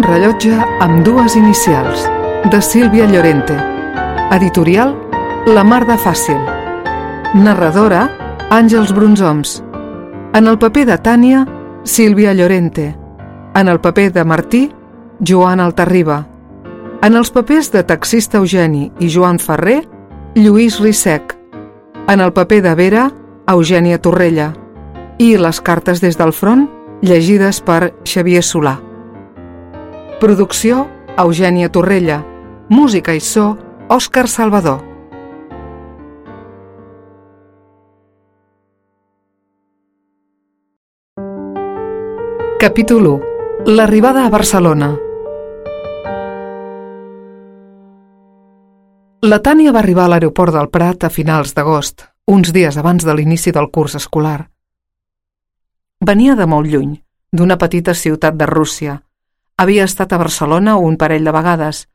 rellotge amb dues inicials, de Sílvia Llorente. Editorial La Mar de Fàcil. Narradora Àngels Brunzoms. En el paper de Tània, Sílvia Llorente. En el paper de Martí, Joan Altarriba. En els papers de taxista Eugeni i Joan Ferrer, Lluís Rissec. En el paper de Vera, Eugènia Torrella. I les cartes des del front, llegides per Xavier Solà. Producció, Eugènia Torrella. Música i so, Òscar Salvador. Capítol 1. L'arribada a Barcelona. La Tània va arribar a l'aeroport del Prat a finals d'agost, uns dies abans de l'inici del curs escolar. Venia de molt lluny, d'una petita ciutat de Rússia. Havia estat a Barcelona un parell de vegades,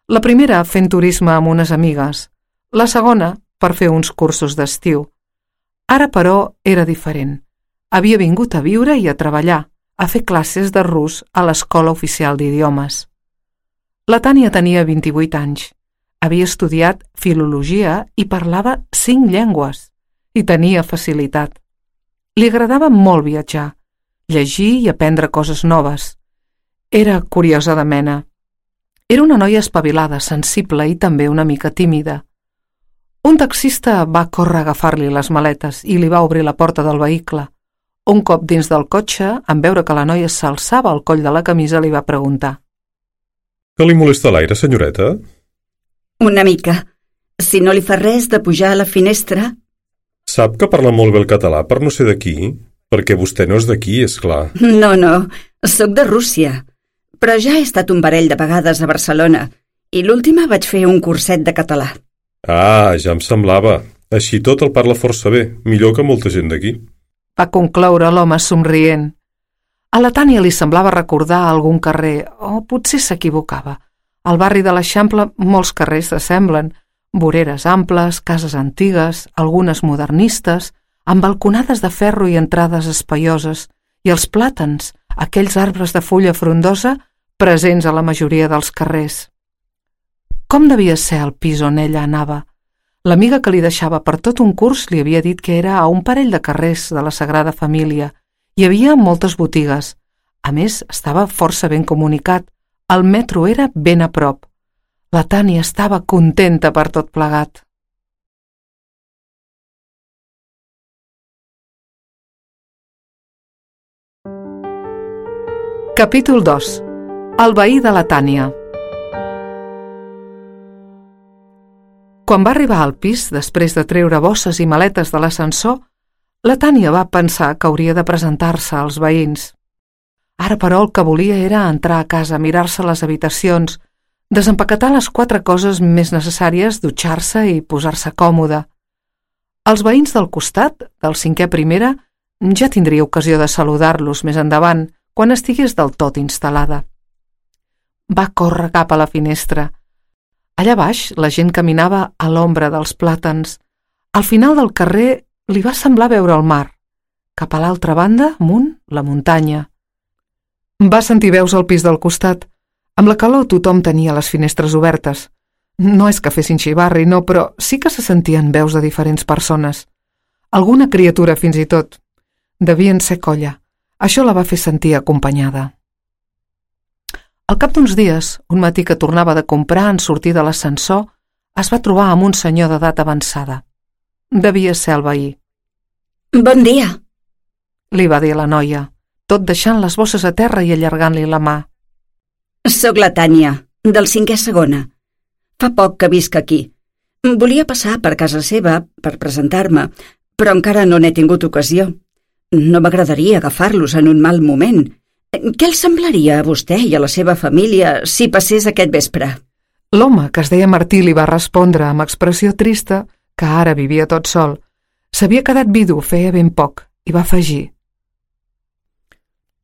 la primera fent turisme amb unes amigues, la segona per fer uns cursos d'estiu. Ara, però, era diferent. Havia vingut a viure i a treballar, a fer classes de rus a l'Escola Oficial d'Idiomes. La Tània tenia 28 anys. Havia estudiat filologia i parlava 5 llengües, i tenia facilitat. Li agradava molt viatjar, llegir i aprendre coses noves. Era curiosa de mena. Era una noia espavilada, sensible i també una mica tímida. Un taxista va córrer a agafar-li les maletes i li va obrir la porta del vehicle. Un cop dins del cotxe, en veure que la noia s'alçava el coll de la camisa, li va preguntar: Que li molesta l'aire, senyoreta? Una mica. Si no li fa res de pujar a la finestra... Sap que parla molt bé el català per no ser d'aquí? Perquè vostè no és d'aquí, és clar. No, sóc de Rússia. Però ja he estat un parell de vegades a Barcelona i l'última vaig fer un curset de català. Ah, ja em semblava. Així tot el parla força bé, millor que molta gent d'aquí. Va concloure l'home somrient. A la Tània li semblava recordar algun carrer, o potser s'equivocava. Al barri de l'Eixample molts carrers s'assemblen, voreres amples, cases antigues, algunes modernistes, amb balconades de ferro i entrades espaioses, i els plàtans, aquells arbres de fulla frondosa, presents a la majoria dels carrers. Com devia ser el pis on ella anava? L'amiga que li deixava per tot un curs li havia dit que era a un parell de carrers de la Sagrada Família. Hi havia moltes botigues. A més, estava força ben comunicat. El metro era ben a prop. La Tània estava contenta per tot plegat. Capítol 2. El veí de la Tània. Quan va arribar al pis, després de treure bosses i maletes de l'ascensor, la Tània va pensar que hauria de presentar-se als veïns. Ara, però, el que volia era entrar a casa, mirar-se les habitacions, desempaquetar les 4 coses més necessàries, dutxar-se i posar-se còmoda. Els veïns del costat, del 5è primera, ja tindria ocasió de saludar-los més endavant, quan estigués del tot instal·lada. Va córrer cap a la finestra. Allà baix la gent caminava a l'ombra dels plàtans. Al final del carrer li va semblar veure el mar. Cap a l'altra banda, amunt, la muntanya. Va sentir veus al pis del costat. Amb la calor tothom tenia les finestres obertes. No és que fessin xivarri, no, però sí que se sentien veus de diferents persones. Alguna criatura fins i tot. Devien ser colla. Això la va fer sentir acompanyada. Al cap d'uns dies, un matí que tornava de comprar en sortir de l'ascensor, es va trobar amb un senyor d'edat avançada. Devia ser el veí. Bon dia, li va dir la noia, tot deixant les bosses a terra i allargant-li la mà. Soc la Tània, del 5è segona. Fa poc que visc aquí. Volia passar per casa seva per presentar-me, però encara no n'he tingut ocasió. No m'agradaria agafar-los en un mal moment. Què els semblaria a vostè i a la seva família si passés aquest vespre? L'home, que es deia Martí, li va respondre amb expressió trista que ara vivia tot sol. S'havia quedat vidu feia ben poc i va afegir: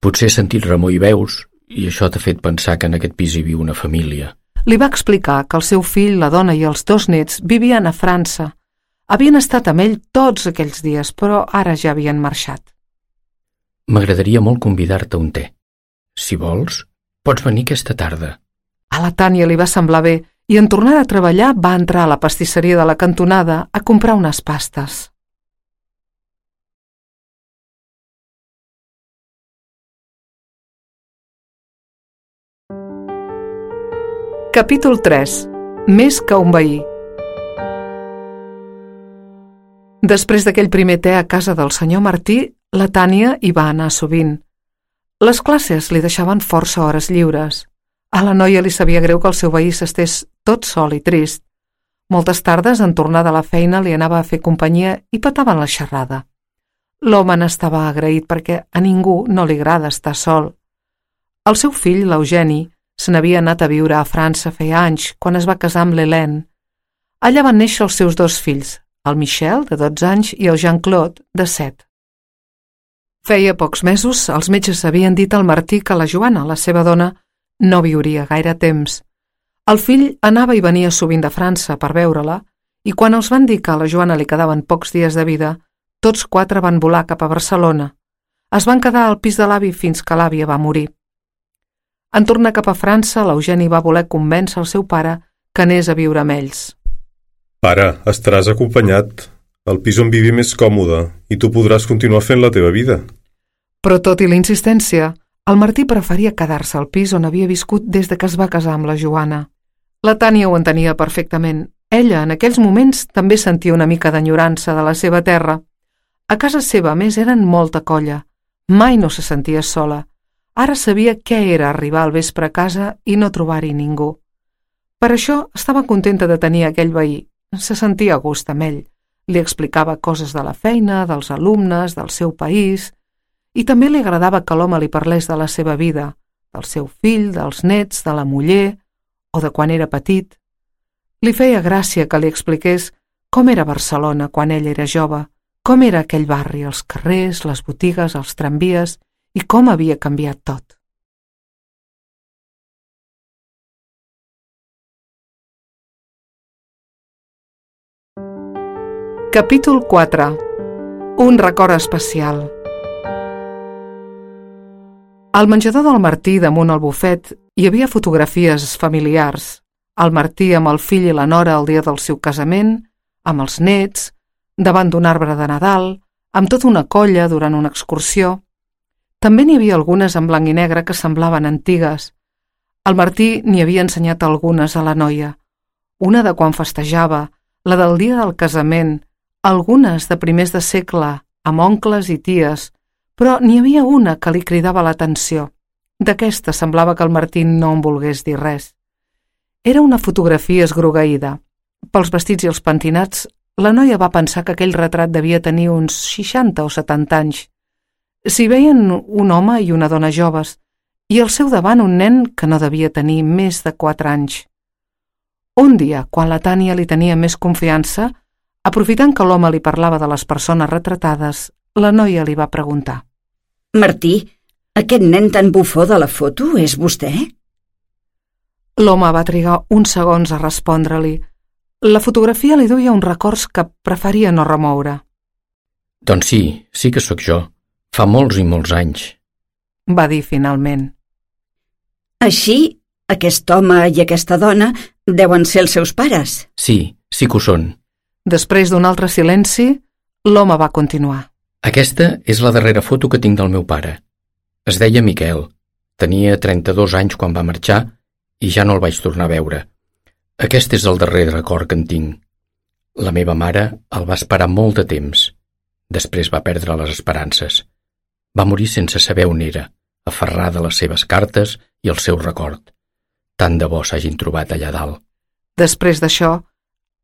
Potser he sentit remor i veus i això t'ha fet pensar que en aquest pis hi viu una família. Li va explicar que el seu fill, la dona i els 2 nets vivien a França. Havien estat amb ell tots aquells dies, però ara ja havien marxat. M'agradaria molt convidar-te a un te. Si vols, Pots venir aquesta tarda. A la Tània li va semblar bé i en tornar a treballar va entrar a la pastisseria de la cantonada a comprar unes pastes. Capítol 3. Més que un veí. Després d'aquell primer te a casa del senyor Martí, la Tània hi va anar sovint. Les classes li deixaven força hores lliures. A la noia li sabia greu que el seu veí s'estés tot sol i trist. Moltes tardes, en tornar de la feina, li anava a fer companyia i petaven la xerrada. L'home n'estava agraït perquè a ningú no li agrada estar sol. El seu fill, l'Eugeni, se n'havia anat a viure a França feia anys, quan es va casar amb l'Hélène. Allà van néixer els seus dos fills, el Michel, de 12 anys, i el Jean-Claude, de 7. Feia pocs mesos, els metges havien dit al Martí que la Joana, la seva dona, no viuria gaire temps. El fill anava i venia sovint de França per veure-la, i quan els van dir que a la Joana li quedaven pocs dies de vida, tots 4 van volar cap a Barcelona. Es van quedar al pis de l'avi fins que l'àvia va morir. En tornar cap a França, l'Eugeni va voler convèncer el seu pare que anés a viure amb ells. Pare, estaràs acompanyat. El pis on vivim és còmode i tu podràs continuar fent la teva vida. Però tot i la insistència, el Martí preferia quedar-se al pis on havia viscut des de que es va casar amb la Joana. La Tània ho entenia perfectament. Ella, en aquells moments, també sentia una mica d'enyorança de la seva terra. A casa seva, a més, eren molta colla. Mai no se sentia sola. Ara sabia què era arribar al vespre a casa i no trobar-hi ningú. Per això estava contenta de tenir aquell veí. Se sentia a gust amb ell. Li explicava coses de la feina, dels alumnes, del seu país, i també li agradava que l'home li parlés de la seva vida, del seu fill, dels nets, de la muller o de quan era petit. Li feia gràcia que li expliqués com era Barcelona quan ell era jove, com era aquell barri, els carrers, les botigues, els tramvies i com havia canviat tot. Capítol 4. Un record especial. Al menjador del Martí, damunt el bufet, hi havia fotografies familiars. El Martí amb el fill i la nora el dia del seu casament, amb els nets, davant d'un arbre de Nadal, amb tota una colla durant una excursió. També n'hi havia algunes en blanc i negre que semblaven antigues. El Martí n'hi havia ensenyat algunes a la noia. Una de quan festejava, la del dia del casament, algunes de primers de segle, amb oncles i ties, però n'hi havia una que li cridava l'atenció. D'aquesta semblava que el Martí no en volgués dir res. Era una fotografia esgrogueïda. Pels vestits i els pentinats, la noia va pensar que aquell retrat devia tenir uns 60 o 70 anys. S'hi veien un home i una dona joves, i al seu davant un nen que no devia tenir més de 4 anys. Un dia, quan la Tània li tenia més confiança, aprofitant que l'home li parlava de les persones retratades, la noia li va preguntar: Martí, aquest nen tan bufó de la foto és vostè? L'home va trigar uns segons a respondre-li. La fotografia li duia uns records que preferia no remoure. Doncs sí que sóc jo. Fa molts i molts anys, va dir finalment. Així, aquest home i aquesta dona deuen ser els seus pares. Sí que ho són. Després d'un altre silenci, l'home va continuar. Aquesta és la darrera foto que tinc del meu pare. Es deia Miquel. Tenia 32 anys quan va marxar i ja no el vaig tornar a veure. Aquest és el darrer record que en tinc. La meva mare el va esperar molt de temps. Després va perdre les esperances. Va morir sense saber on era, aferrada a les seves cartes i el seu record. Tant de bo s'hagin trobat allà dalt. Després d'això,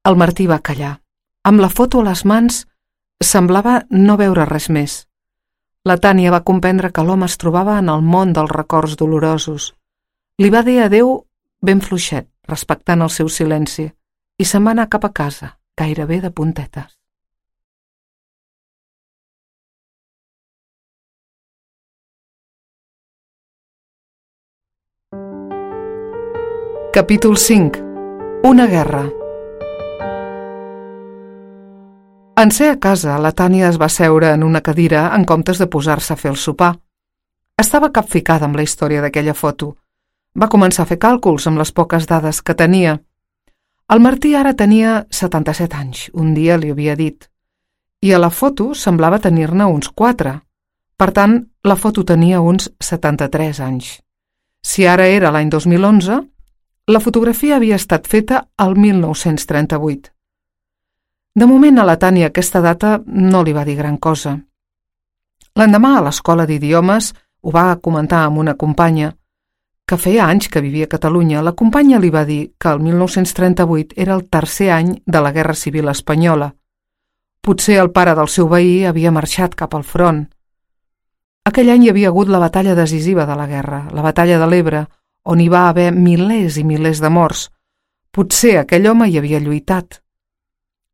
el Martí va callar. Amb la foto a les mans, semblava no veure res més. La Tània va comprendre que l'home es trobava en el món dels records dolorosos. Li va dir adéu ben fluixet, respectant el seu silenci, i se'n va anar cap a casa, gairebé de puntetes. Capítol 5. Una guerra. En ser a casa, la Tània es va seure en una cadira en comptes de posar-se a fer el sopar. Estava capficada amb la història d'aquella foto. Va començar a fer càlculs amb les poques dades que tenia. El Martí ara tenia 77 anys, un dia li havia dit, i a la foto semblava tenir-ne uns 4. Per tant, la foto tenia uns 73 anys. Si ara era l'any 2011, la fotografia havia estat feta al 1938. De moment a la Tània aquesta data no li va dir gran cosa. L'endemà a l'escola d'idiomes ho va comentar amb una companya, que feia anys que vivia a Catalunya. La companya li va dir que el 1938 era el 3è any de la Guerra Civil Espanyola. Potser el pare del seu veí havia marxat cap al front. Aquell any hi havia hagut la batalla decisiva de la guerra, la batalla de l'Ebre, on hi va haver milers i milers de morts. Potser aquell home hi havia lluitat.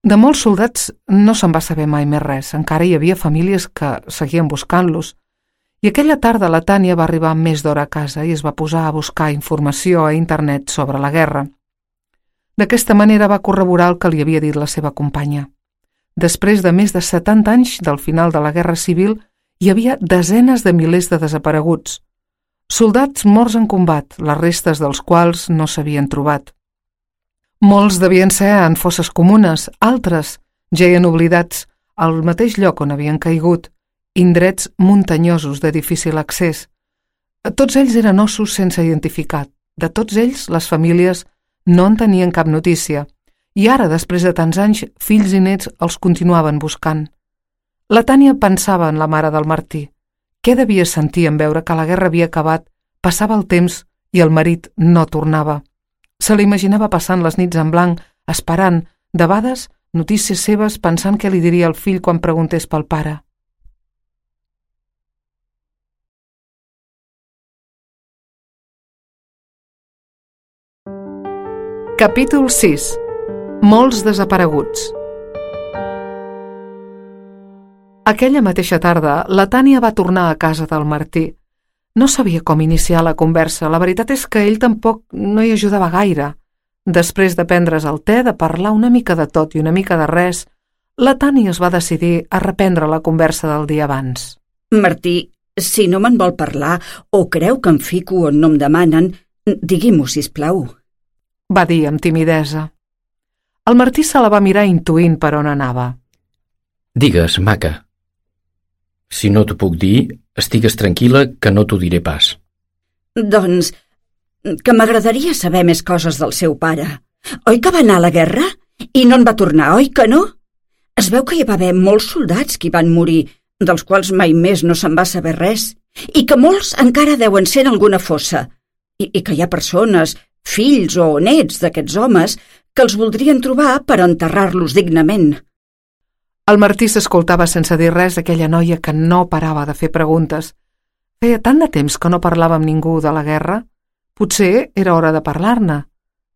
De molts soldats no se'n va saber mai més res, encara hi havia famílies que seguien buscant-los. I aquella tarda la Tània va arribar amb més d'hora a casa i es va posar a buscar informació a internet sobre la guerra. D'aquesta manera va corroborar el que li havia dit la seva companya. Després de més de 70 anys del final de la Guerra Civil, hi havia desenes de milers de desapareguts. Soldats morts en combat, les restes dels quals no s'havien trobat. Molts devien ser en fosses comunes, altres geien oblidats al mateix lloc on havien caigut, indrets muntanyosos de difícil accés. Tots ells eren ossos sense identificar. De tots ells, les famílies no en tenien cap notícia. I ara, després de tants anys, fills i nets els continuaven buscant. La Tània pensava en la mare del Martí. Què devia sentir en veure que la guerra havia acabat, passava el temps i el marit no tornava? Se l'imaginava passant les nits en blanc, esperant, debades, notícies seves, pensant què li diria el fill quan preguntés pel pare. Capítol 6. Molts desapareguts. Aquella mateixa tarda, la Tània va tornar a casa del Martí. No sabia com iniciar la conversa. La veritat és que ell tampoc no hi ajudava gaire. Després de prendre's el te, de parlar una mica de tot i una mica de res, la Tània es va decidir a reprendre la conversa del dia abans. Martí, si no me'n vol parlar o creu que em fico on no em demanen, digui-m'ho, sisplau. Va dir amb timidesa. El Martí se la va mirar intuint per on anava. Digues, maca. Si no t'ho puc dir, estigues tranquil·la que no t'ho diré pas. Doncs, que m'agradaria saber més coses del seu pare. Oi que va anar a la guerra? I no en va tornar, oi que no? Es veu que hi va haver molts soldats que hi van morir, dels quals mai més no se'n va saber res, i que molts encara deuen ser en alguna fossa, i que hi ha persones, fills o nets d'aquests homes, que els voldrien trobar per enterrar-los dignament. El Martí s'escoltava sense dir res aquella noia que no parava de fer preguntes. Feia tant de temps que no parlava amb ningú de la guerra. Potser era hora de parlar-ne,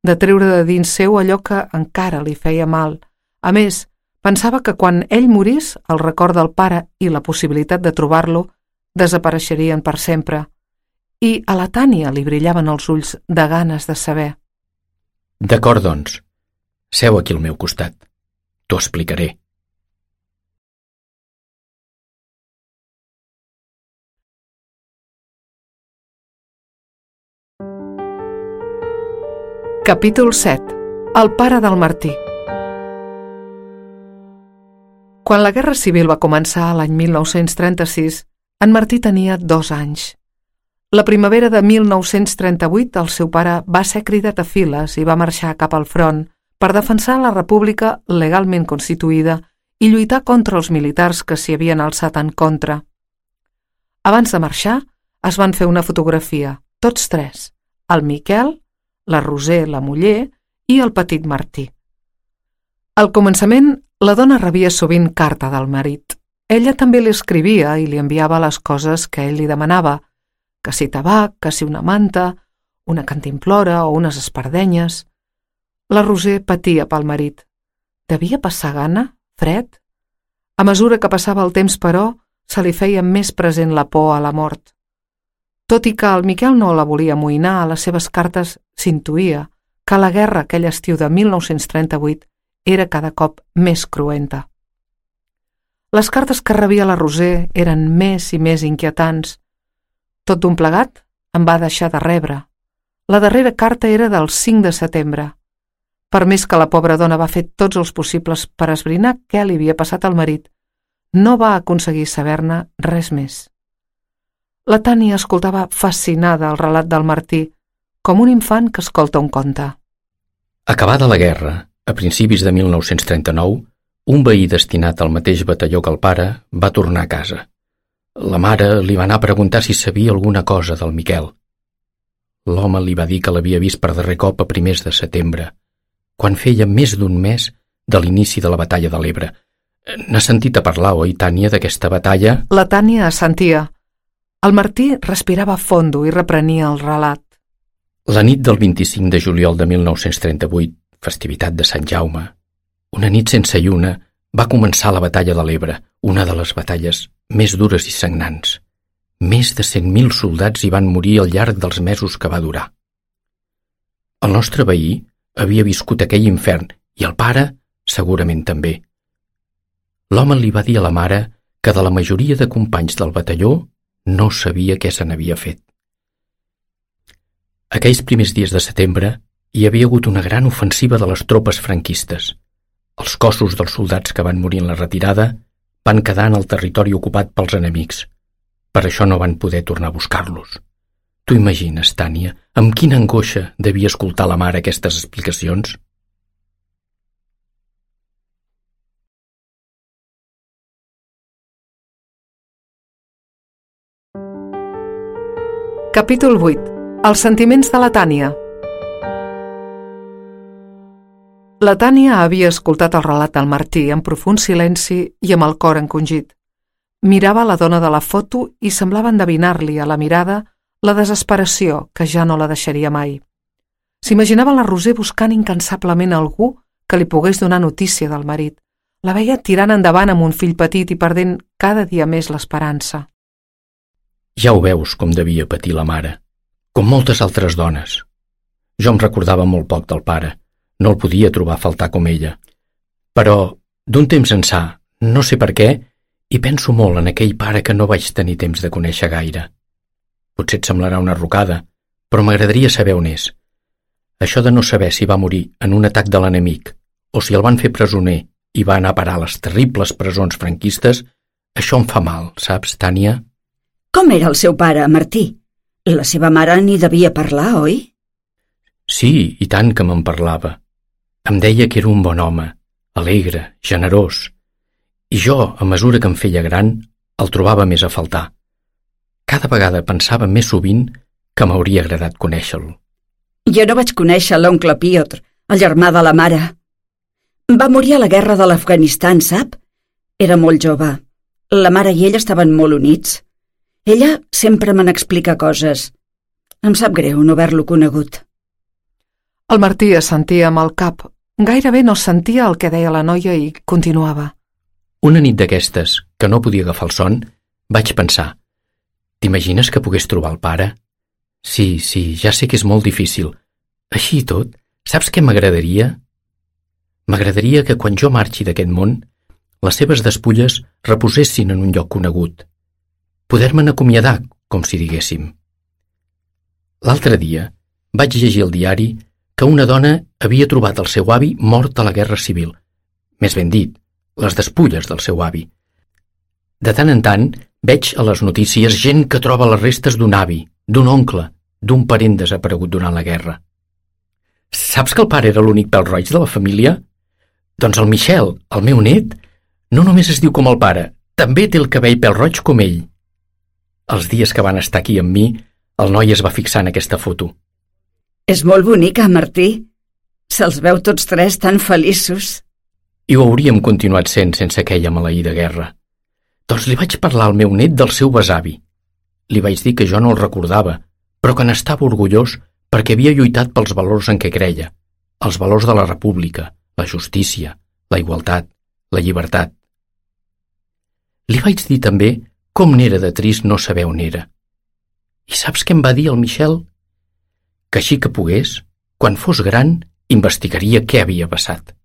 de treure de dins seu allò que encara li feia mal. A més, pensava que quan ell morís, el record del pare i la possibilitat de trobar-lo desapareixerien per sempre. I a la Tània li brillaven els ulls de ganes de saber. D'acord, doncs. Seu aquí al meu costat. T'ho explicaré. Capítol 7. El pare del Martí. Quan la Guerra Civil va començar l'any 1936, en Martí tenia 2 anys. La primavera de 1938 el seu pare va ser cridat a files i va marxar cap al front per defensar la república legalment constituïda i lluitar contra els militars que s'hi havien alçat en contra. Abans de marxar, es van fer una fotografia, tots 3, el Miquel, la Roser, la muller, i el petit Martí. Al començament, la dona rebia sovint carta del marit. Ella també li escrivia i li enviava les coses que ell li demanava, que si tabac, que si una manta, una cantimplora o unes espardenyes. La Roser patia pel marit. Devia passar gana, fred? A mesura que passava el temps, però, se li feia més present la por a la mort. Tot i que el Miquel no la volia amoïnar, a les seves cartes s'intuïa que la guerra aquell estiu de 1938 era cada cop més cruenta. Les cartes que rebia la Roser eren més i més inquietants. Tot d'un plegat em va deixar de rebre. La darrera carta era del 5 de setembre. Per més que la pobra dona va fer tots els possibles per esbrinar què li havia passat al marit, no va aconseguir saber-ne res més. La Tània escoltava fascinada el relat del Martí, com un infant que escolta un conte. Acabada la guerra, a principis de 1939, un veí destinat al mateix batalló que el pare va tornar a casa. La mare li va anar a preguntar si sabia alguna cosa del Miquel. L'home li va dir que l'havia vist per darrer cop a primers de setembre, quan feia més d'un mes de l'inici de la batalla de l'Ebre. N'ha sentit a parlar, oi, Tània, d'aquesta batalla? La Tània assentia. El Martí respirava fondo i reprenia el relat. La nit del 25 de juliol de 1938, festivitat de Sant Jaume, una nit sense lluna, va començar la batalla de l'Ebre, una de les batalles més dures i sagnants. Més de 100.000 soldats hi van morir al llarg dels mesos que va durar. El nostre veí havia viscut aquell infern i el pare segurament també. L'home li va dir a la mare que de la majoria de companys del batalló no sabia què se n'havia fet. Aquells primers dies de setembre hi havia hagut una gran ofensiva de les tropes franquistes. Els cossos dels soldats que van morir en la retirada van quedar en el territori ocupat pels enemics. Per això no van poder tornar a buscar-los. Tu imagines, Tània, amb quina angoixa devia escoltar la mare aquestes explicacions? Capítol 8. Els sentiments de la Tània. La Tània havia escoltat el relat del Martí amb profund silenci i amb el cor encongit. Mirava la dona de la foto i semblava endevinar-li a la mirada la desesperació que ja no la deixaria mai. S'imaginava la Roser buscant incansablement algú que li pogués donar notícia del marit. La veia tirant endavant amb un fill petit i perdent cada dia més l'esperança. Ja ho veus com devia patir la mare, com moltes altres dones. Jo em recordava molt poc del pare, no el podia trobar a faltar com ella. Però, d'un temps ençà, no sé per què, i penso molt en aquell pare que no vaig tenir temps de conèixer gaire. Potser et semblarà una rocada, però m'agradaria saber on és. Això de no saber si va morir en un atac de l'enemic o si el van fer presoner i va anar a parar a les terribles presons franquistes, això em fa mal, saps, Tània? Com era el seu pare, Martí? La seva mare n'hi devia parlar, oi? Sí, i tant que me'n parlava. Em deia que era un bon home, alegre, generós. I jo, a mesura que em feia gran, el trobava més a faltar. Cada vegada pensava més sovint que m'hauria agradat conèixer-lo. Jo no vaig conèixer l'oncle Piotr, el germà de la mare. Va morir a la guerra de l'Afganistan, sap? Era molt jove. La mare i ell estaven molt units. Ella sempre me n'explica coses. Em sap greu no haver-lo conegut. El Martí assentia amb el cap. Gairebé no sentia el que deia la noia i continuava. Una nit d'aquestes, que no podia agafar el son, vaig pensar: t'imagines que pogués trobar el pare? Sí, ja sé que és molt difícil. Així i tot, saps què m'agradaria? M'agradaria que quan jo marxi d'aquest món, les seves despulles reposessin en un lloc conegut. Poder-me'n acomiadar, com si diguéssim. L'altre dia vaig llegir al diari que una dona havia trobat el seu avi mort a la Guerra Civil. Més ben dit, les despulles del seu avi. De tant en tant veig a les notícies gent que troba les restes d'un avi, d'un oncle, d'un parent desaparegut durant la guerra. Saps que el pare era l'únic pèl roig de la família? Doncs el Michel, el meu net, no només es diu com el pare, també té el cabell pèl roig com ell. Els dies que van estar aquí amb mi, el noi es va fixar en aquesta foto. És molt bonica, Martí. Se'ls veu tots tres tan feliços. I ho hauríem continuat sent sense aquella maleïda guerra. Doncs li vaig parlar al meu net del seu besavi. Li vaig dir que jo no el recordava, però que n'estava orgullós perquè havia lluitat pels valors en què creia, els valors de la república, la justícia, la igualtat, la llibertat. Li vaig dir també com n'era de trist no saber on era. I saps què em va dir el Michel? Que així que pogués, quan fos gran, investigaria què havia passat.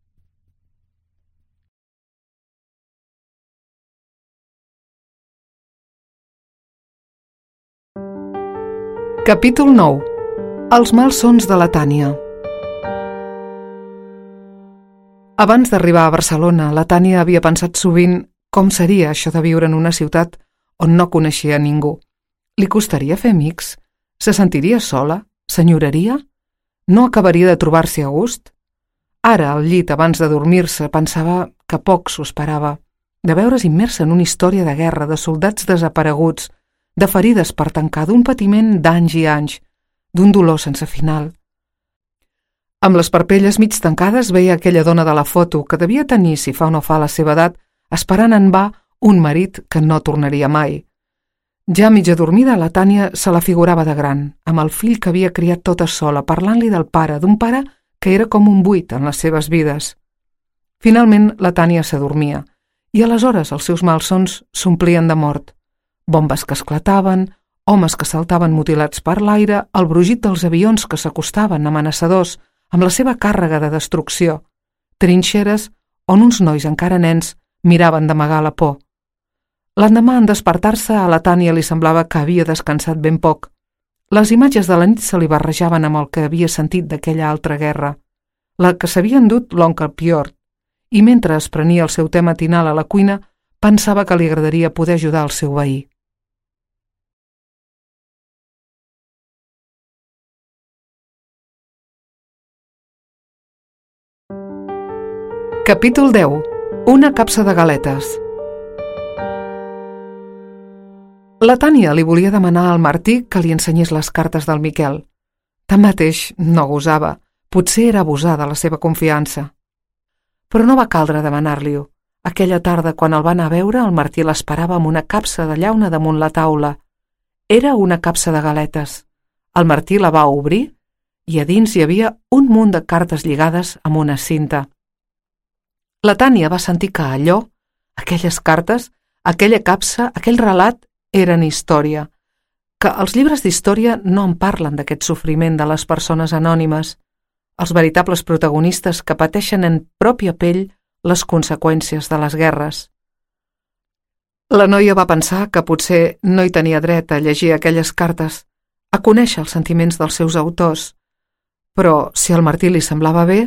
Capítol 9. Els malsons de la Tània. Abans d'arribar a Barcelona, la Tània havia pensat sovint com seria això de viure en una ciutat on no coneixia ningú. Li costaria fer amics? Se sentiria sola? S'enyoraria? No acabaria de trobar-s'hi a gust? Ara, al llit, abans de dormir-se, pensava que poc s'ho esperava, de veure's immersa en una història de guerra, de soldats desapareguts, de ferides per tancar, d'un patiment d'anys i anys, d'un dolor sense final. Amb les parpelles mig tancades veia aquella dona de la foto que devia tenir, si fa o no fa la seva edat, esperant en va un marit que no tornaria mai. Ja mig adormida, la Tània se la figurava de gran, amb el fill que havia criat tota sola, parlant-li del pare, d'un pare que era com un buit en les seves vides. Finalment, la Tània s'adormia, i aleshores els seus malsons s'omplien de mort. Bombes que esclataven, homes que saltaven mutilats per l'aire, el brugit dels avions que s'acostaven amenaçadors amb la seva càrrega de destrucció, trinxeres on uns nois encara nens miraven d'amagar la por. L'endemà, en despertar-se, a la Tània li semblava que havia descansat ben poc. Les imatges de la nit se li barrejaven amb el que havia sentit d'aquella altra guerra, la que s'havia endut l'oncle Piort, i mentre es prenia el seu te matinal a la cuina, pensava que li agradaria poder ajudar el seu veí. Capítol 10. Una capsa de galetes. La Tània li volia demanar al Martí que li ensenyés les cartes del Miquel. Tanmateix, no gosava. Potser era abusar de la seva confiança. Però no va caldre demanar-li-ho. Aquella tarda, quan el va anar a veure, el Martí l'esperava amb una capsa de llauna damunt la taula. Era una capsa de galetes. El Martí la va obrir i a dins hi havia un munt de cartes lligades amb una cinta. La Tània va sentir que allò, aquelles cartes, aquella capsa, aquell relat, eren història, que els llibres d'història no en parlen d'aquest sofriment de les persones anònimes, els veritables protagonistes que pateixen en pròpia pell les conseqüències de les guerres. La noia va pensar que potser no hi tenia dret a llegir aquelles cartes, a conèixer els sentiments dels seus autors, però si al Martí li semblava bé...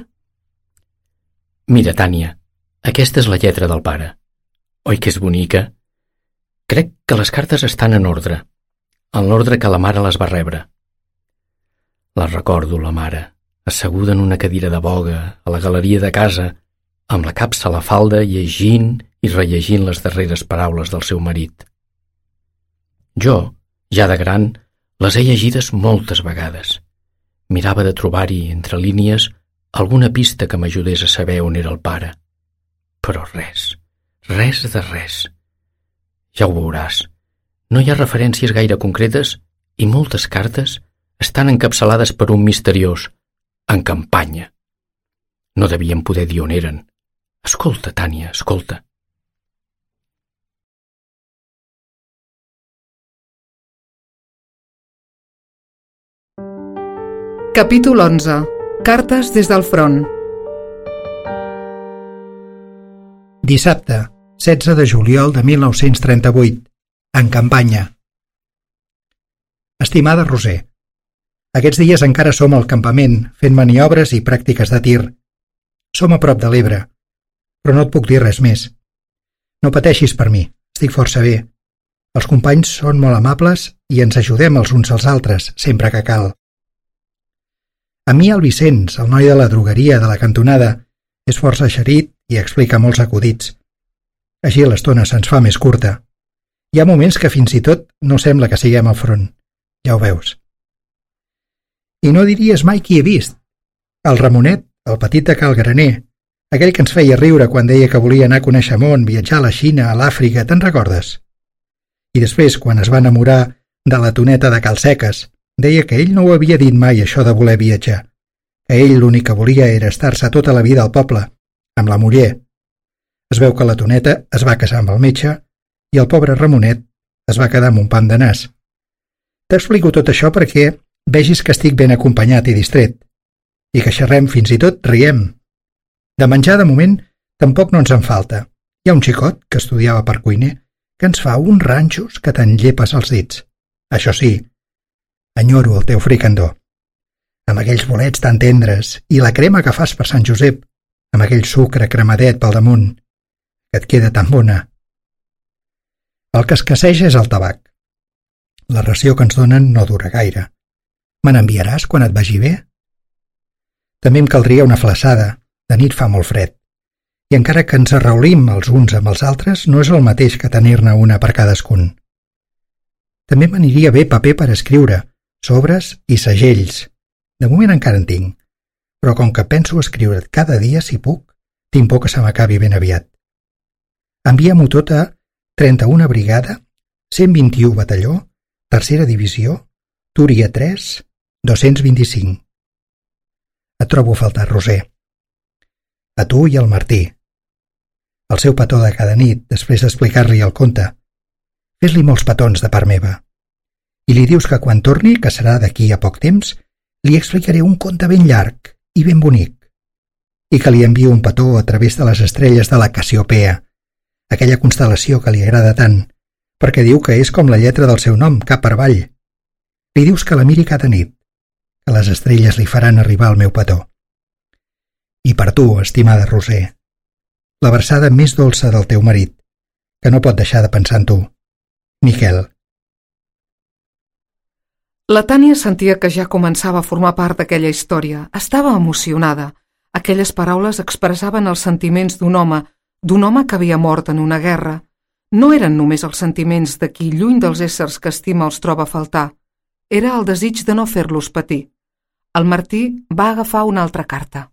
Mira, Tània, aquesta és la lletra del pare. Oi que és bonica? Crec que les cartes estan en ordre que la mare les va rebre. La recordo, la mare, asseguda en una cadira de boga a la galeria de casa, amb la capsa a la falda, llegint i rellegint les darreres paraules del seu marit. Jo, ja de gran, les he llegides moltes vegades. Mirava de trobar-hi, entre línies, alguna pista que m'ajudés a saber on era el pare. Però res de res. Ja ho veuràs. No hi ha referències gaire concretes i moltes cartes estan encapçalades per un misteriós en campanya. No devien poder dir on eren. Escolta, Tània, escolta. Capítol 11. Cartes des del front. Dissabte, 16 de juliol de 1938, en campanya. Estimada Roser, aquests dies encara som al campament fent maniobres i pràctiques de tir. Som a prop de l'Ebre, però no et puc dir res més. No pateixis per mi, estic força bé. Els companys són molt amables i ens ajudem els uns als altres, sempre que cal. A mi el Vicenç, el noi de la drogueria de la cantonada, és força eixerit i explica molts acudits. Així l'estona se'ns fa més curta. Hi ha moments que fins i tot no sembla que siguem al front. Ja ho veus. I no diries mai qui he vist. El Ramonet, el petit de Cal Graner, aquell que ens feia riure quan deia que volia anar a conèixer món, viatjar a la Xina, a l'Àfrica, te'n recordes? I després, quan es va enamorar de la Toneta de Cal Seques, deia que ell no ho havia dit mai, això de voler viatjar, que ell l'únic que volia era estar-se tota la vida al poble, amb la muller. Es veu que la Toneta es va casar amb el metge i el pobre Ramonet es va quedar amb un pam de nas. T'explico tot això perquè vegis que estic ben acompanyat i distret, i que xerrem, fins i tot riem. De menjar, de moment, tampoc no ens en falta. Hi ha un xicot que estudiava per cuiner que ens fa uns ranxos que te'n llepes els dits. Això sí, enyoro el teu fricandó. amb aquells bolets tan tendres, i la crema que fas per Sant Josep, amb aquell sucre cremadet pel damunt, que et queda tan bona. El que escasseja és el tabac. La ració que ens donen no dura gaire. Me n'enviaràs quan et vagi bé? També em caldria una flaçada. De nit fa molt fred. I encara que ens arraulim els uns amb els altres, no és el mateix que tenir-ne una per cadascun. També m'aniria bé paper per escriure, sobres i segells. De moment encara en tinc, però com que penso escriure't cada dia si puc, tinc por que se m'acabi ben aviat. Envia-m'ho tot a 31 Brigada, 121 Batalló, Tercera Divisió, Túria 3, 225. Et trobo a faltar, Roser. A tu i al Martí. El seu petó de cada nit, després d'explicar-li el conte. Fes-li molts petons de part meva. I li dius que quan torni, que serà d'aquí a poc temps, li explicaré un conte ben llarg i ben bonic. I que li envio un petó a través de les estrelles de la Cassiopea, aquella constel·lació que li agrada tant, perquè diu que és com la lletra del seu nom, cap per avall. Li dius que la miri cada nit, que les estrelles li faran arribar el meu petó. I per tu, estimada Roser, la versada més dolça del teu marit, que no pot deixar de pensar en tu. Miquel. La Tània sentia que ja començava a formar part d'aquella història. Estava emocionada. Aquelles paraules expressaven els sentiments d'un home que havia mort en una guerra. No eren només els sentiments de qui, lluny dels éssers que estima, els troba a faltar. Era el desig de no fer-los patir. El Martí va agafar una altra carta.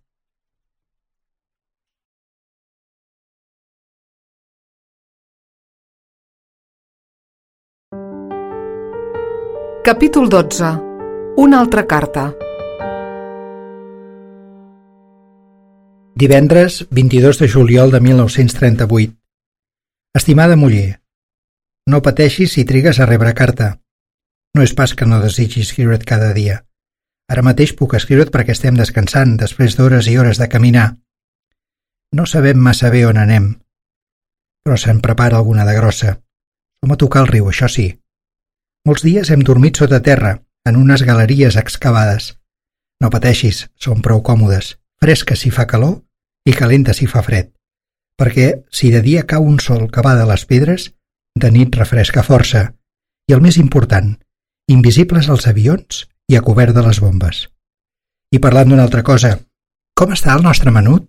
Capítol 12. Una altra carta. Divendres 22 de juliol de 1938. Estimada muller, no pateixis si trigues a rebre carta. No és pas que no desitgi escriure't cada dia. Ara mateix puc escriure't perquè estem descansant després d'hores i hores de caminar. No sabem massa bé on anem, però se'n prepara alguna de grossa. Som a tocar el riu, això sí. Molts dies hem dormit sota terra, en unes galeries excavades. No pateixis, són prou còmodes, fresques si fa calor i calentes si fa fred, perquè si de dia cau un sol que va de les pedres, de nit refresca força, i el més important, invisibles als avions i a cobert de les bombes. I parlant d'una altra cosa, com està el nostre menut?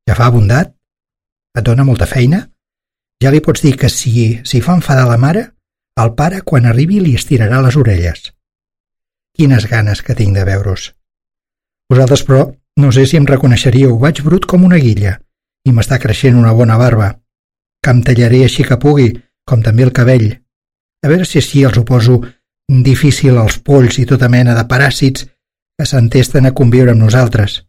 Ja fa bondat? Et dona molta feina? Ja li pots dir que si fa enfadar la mare, el pare, quan arribi, li estirarà les orelles. Quines ganes que tinc de veure-us. Vosaltres, però, no sé si em reconeixeríeu, vaig brut com una guilla, i m'està creixent una bona barba, que em tallaré així que pugui, com també el cabell. A veure si així els ho poso difícil als polls i tota mena de paràsits que s'entesten a conviure amb nosaltres.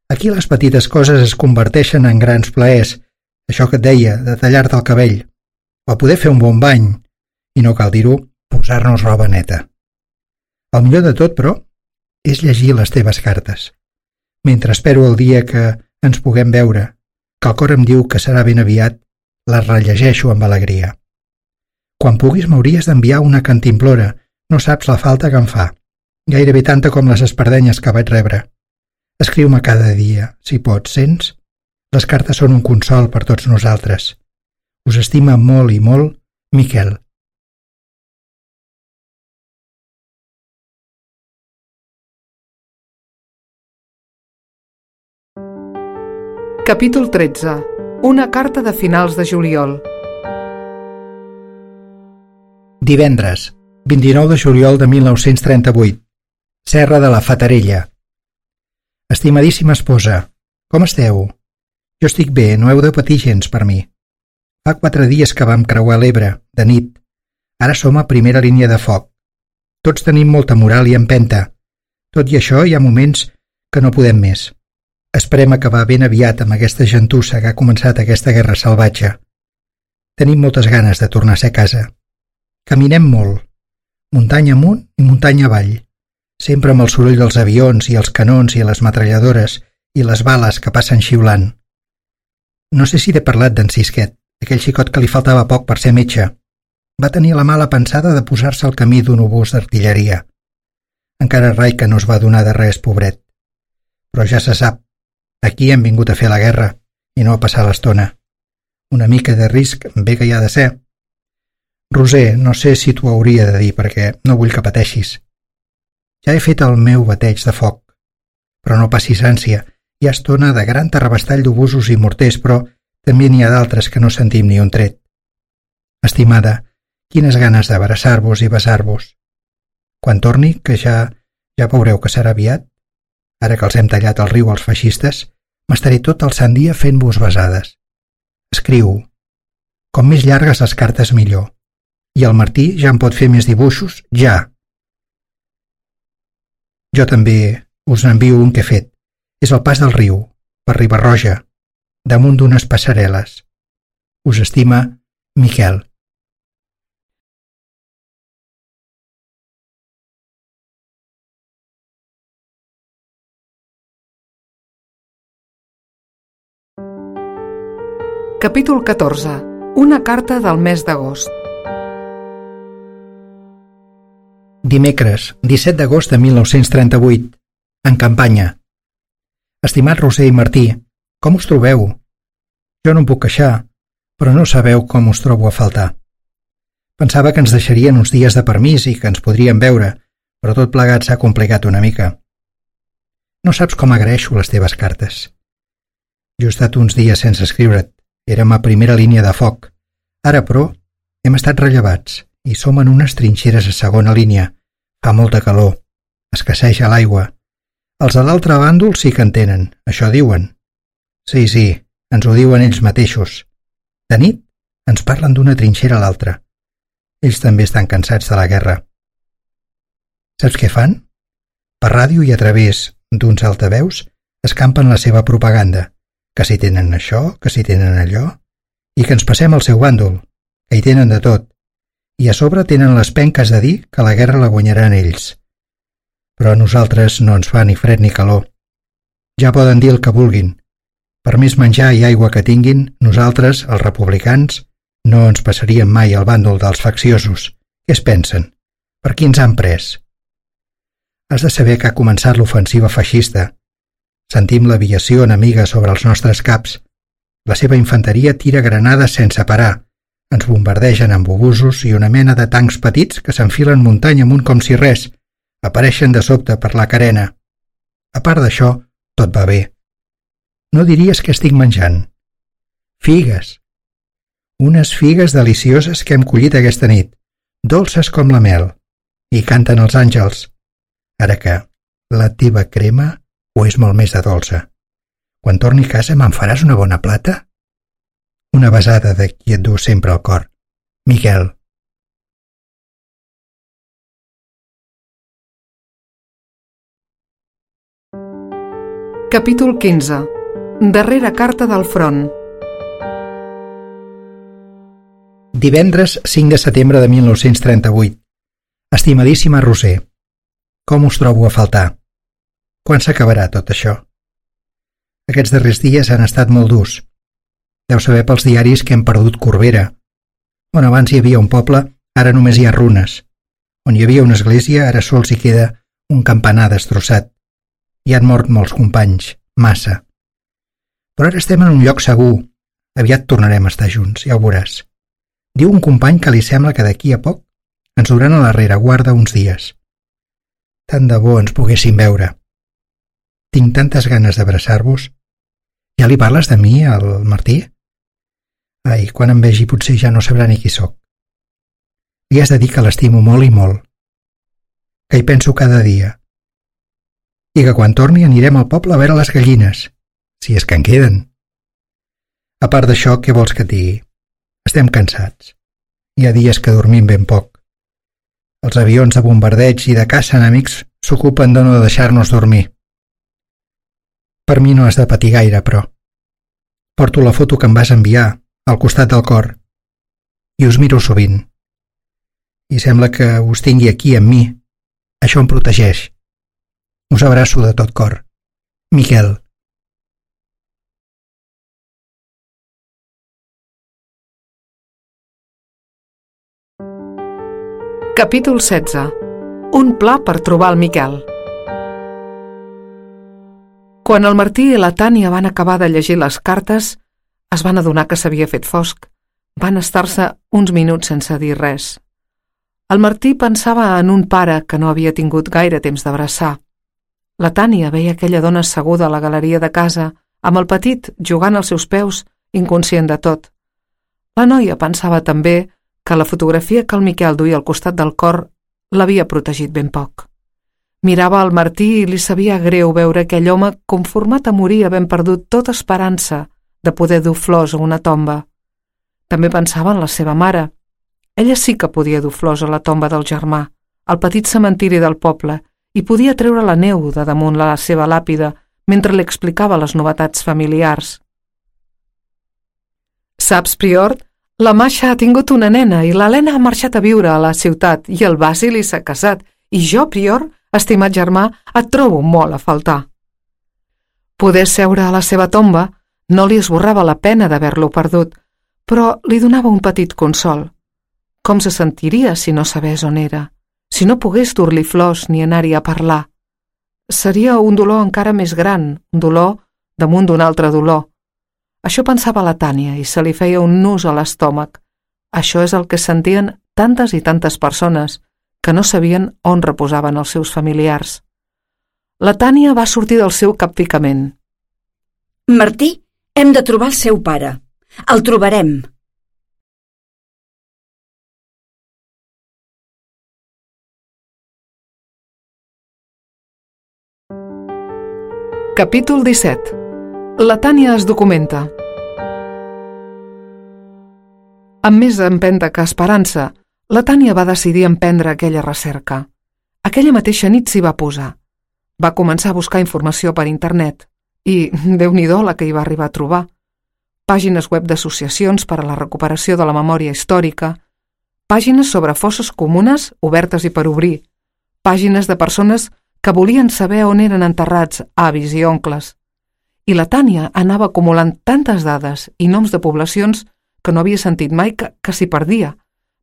Aquí les petites coses es converteixen en grans plaers, això que et deia, de tallar-te el cabell, o poder fer un bon bany, i no cal dir-ho, posar-nos roba neta. El millor de tot, però, és llegir les teves cartes. Mentre espero el dia que ens puguem veure, que el cor em diu que serà ben aviat, les rellegeixo amb alegria. Quan puguis m'hauries d'enviar una cantimplora, no saps la falta que em fa, gairebé tanta com les espardenyes que vaig rebre. Escriu-me cada dia, si pots, sents? Les cartes són un consol per tots nosaltres. Us estima molt i molt, Miquel. Capítol 13. Una carta de finals de juliol. Divendres, 29 de juliol de 1938. Serra de la Fatarella. Estimadíssima esposa, com esteu? Jo estic bé, no heu de patir gens per mi. Fa 4 dies que vam creuar l'Ebre, de nit. Ara som a primera línia de foc. Tots tenim molta moral i empenta. Tot i això, hi ha moments que no podem més. Esperem acabar ben aviat amb aquesta gentussa que ha començat aquesta guerra salvatge. Tenim moltes ganes de tornar a ser a casa. Caminem molt, muntanya amunt i muntanya avall, sempre amb el soroll dels avions i els canons i les metralladores i les bales que passen xiulant. No sé si t'he parlat d'en Sisquet, aquell xicot que li faltava poc per ser metge. Va tenir la mala pensada de posar-se al camí d'un obús d'artilleria. Encara rai que no es va donar de res, pobret. Però ja se sap, aquí hem vingut a fer la guerra i no a passar l'estona. Una mica de risc bé que hi ha de ser. Roser, no sé si t'ho hauria de dir perquè no vull que pateixis. Ja he fet el meu bateig de foc, però no passis ànsia. Hi ha estona de gran terrabastall d'obusos i morters, però també n'hi ha d'altres que no sentim ni un tret. Estimada, quines ganes d'abraçar-vos i besar-vos. Quan torni, que ja veureu que serà aviat, ara que els hem tallat el riu als feixistes, m'estaré tot el sant dia fent-vos besades. Escriu. Com més llargues les cartes millor. I el Martí ja em pot fer més dibuixos, ja. Jo també us n'envio un que he fet. És el pas del riu, per Riba-roja, damunt d'unes passarel·les. Us estima, Miquel. Capítol 14. Una carta del mes d'agost. Dimecres, 17 d'agost de 1938, en campanya. Estimat Roser i Martí, com us trobeu? Jo no em puc queixar, però no sabeu com us trobo a faltar. Pensava que ens deixarien uns dies de permís i que ens podríem veure, però tot plegat s'ha complicat una mica. No saps com agraeixo les teves cartes. Jo he estat uns dies sense escriure't. Érem a primera línia de foc. Ara, però, hem estat rellevats i som en unes trinxeres a segona línia. Fa molta calor. Escasseja l'aigua. Els de l'altre bàndol sí que en tenen, això diuen. Sí, ens ho diuen ells mateixos. De nit ens parlen d'una trinxera a l'altra. Ells també estan cansats de la guerra. Saps què fan? Per ràdio i a través d'uns altaveus escampen la seva propaganda, que si tenen això, que si tenen allò, i que ens passem al seu bàndol, que hi tenen de tot, i a sobre tenen les penques de dir que la guerra la guanyaran ells. Però a nosaltres no ens fa ni fred ni calor. Ja poden dir el que vulguin. Per més menjar i aigua que tinguin, nosaltres, els republicans, no ens passaríem mai al bàndol dels facciosos. Què es pensen? Per qui ens han pres? Has de saber que ha començat l'ofensiva feixista. Sentim l'aviació enemiga sobre els nostres caps. La seva infanteria tira granades sense parar. Ens bombardegen amb obusos i una mena de tancs petits que s'enfilen muntanya amunt com si res. Apareixen de sobte per la carena. A part d'això, tot va bé. No diries que estic menjant. Figues. Unes figues delicioses que hem collit aquesta nit, dolces com la mel, i canten els àngels. Ara que la teva crema o és molt més de dolça. Quan torni a casa me'n faràs una bona plata? Una besada de qui et du sempre al cor. Miquel. Capítol 15. Darrera carta del front. Divendres 5 de setembre de 1938. Estimadíssima Roser, com us trobo a faltar? Quan s'acabarà tot això? Aquests darrers dies han estat molt durs. Deu saber pels diaris que hem perdut Corbera. On abans hi havia un poble, ara només hi ha runes. On hi havia una església, ara sols hi queda un campanar destrossat. Hi han mort molts companys, massa. Però ara estem en un lloc segur. Aviat tornarem a estar junts, ja ho veuràs. Diu un company que li sembla que d'aquí a poc ens duran a la rereguarda uns dies. Tant de bo ens poguéssim veure. Tinc tantes ganes d'abraçar-vos. Ja li parles de mi, al Martí? Ai, quan em vegi potser ja no sabrà ni qui sóc. Li has de dir que l'estimo molt i molt. Que hi penso cada dia. I que quan torni anirem al poble a veure les gallines, si és que en queden. A part d'això, què vols que et digui? Estem cansats. Hi ha dies que dormim ben poc. Els avions de bombardeig i de caça enemics s'ocupen de no deixar-nos dormir. Per mi no has de patir gaire, però. Porto la foto que em vas enviar, al costat del cor, i us miro sovint. I sembla que us tingui aquí amb mi. Això em protegeix. Us abraço de tot cor. Miquel. Capítol 16. Un pla per trobar el Miquel. Quan el Martí i la Tània van acabar de llegir les cartes, es van adonar que s'havia fet fosc. Van estar-se uns minuts sense dir res. El Martí pensava en un pare que no havia tingut gaire temps d'abraçar. La Tània veia aquella dona asseguda a la galeria de casa, amb el petit jugant als seus peus, inconscient de tot. La noia pensava també que la fotografia que el Miquel duia al costat del cor l'havia protegit ben poc. Mirava el Martí i li sabia greu veure aquell home conformat a morir havent perdut tota esperança de poder dur flors a una tomba. També pensava en la seva mare. Ella sí que podia dur flors a la tomba del germà, al petit cementiri del poble, i podia treure la neu de damunt la seva làpida mentre li explicava les novetats familiars. Saps, Prior? La Masha ha tingut una nena i l'Helena ha marxat a viure a la ciutat i el Basili s'ha casat i jo, Prior, estimat germà, et trobo molt a faltar. Poder seure a la seva tomba no li esborrava la pena d'haver-lo perdut, però li donava un petit consol. Com se sentiria si no sabés on era, si no pogués dur-li flors ni anar-hi a parlar? Seria un dolor encara més gran, un dolor damunt d'un altre dolor. Això pensava la Tània i se li feia un nus a l'estómac. Això és el que sentien tantes i tantes persones que no sabien on reposaven els seus familiars. La Tània va sortir del seu capficament. Martí, hem de trobar el seu pare. El trobarem. Capítol 17. La Tània es documenta. Amb més empenta que esperança, la Tània va decidir emprendre aquella recerca. Aquella mateixa nit s'hi va posar. Va començar a buscar informació per internet i, Déu-n'hi-do, la que hi va arribar a trobar. Pàgines web d'associacions per a la recuperació de la memòria històrica, pàgines sobre fosses comunes obertes i per obrir, pàgines de persones que volien saber on eren enterrats avis i oncles. I la Tània anava acumulant tantes dades i noms de poblacions que no havia sentit mai que s'hi perdia.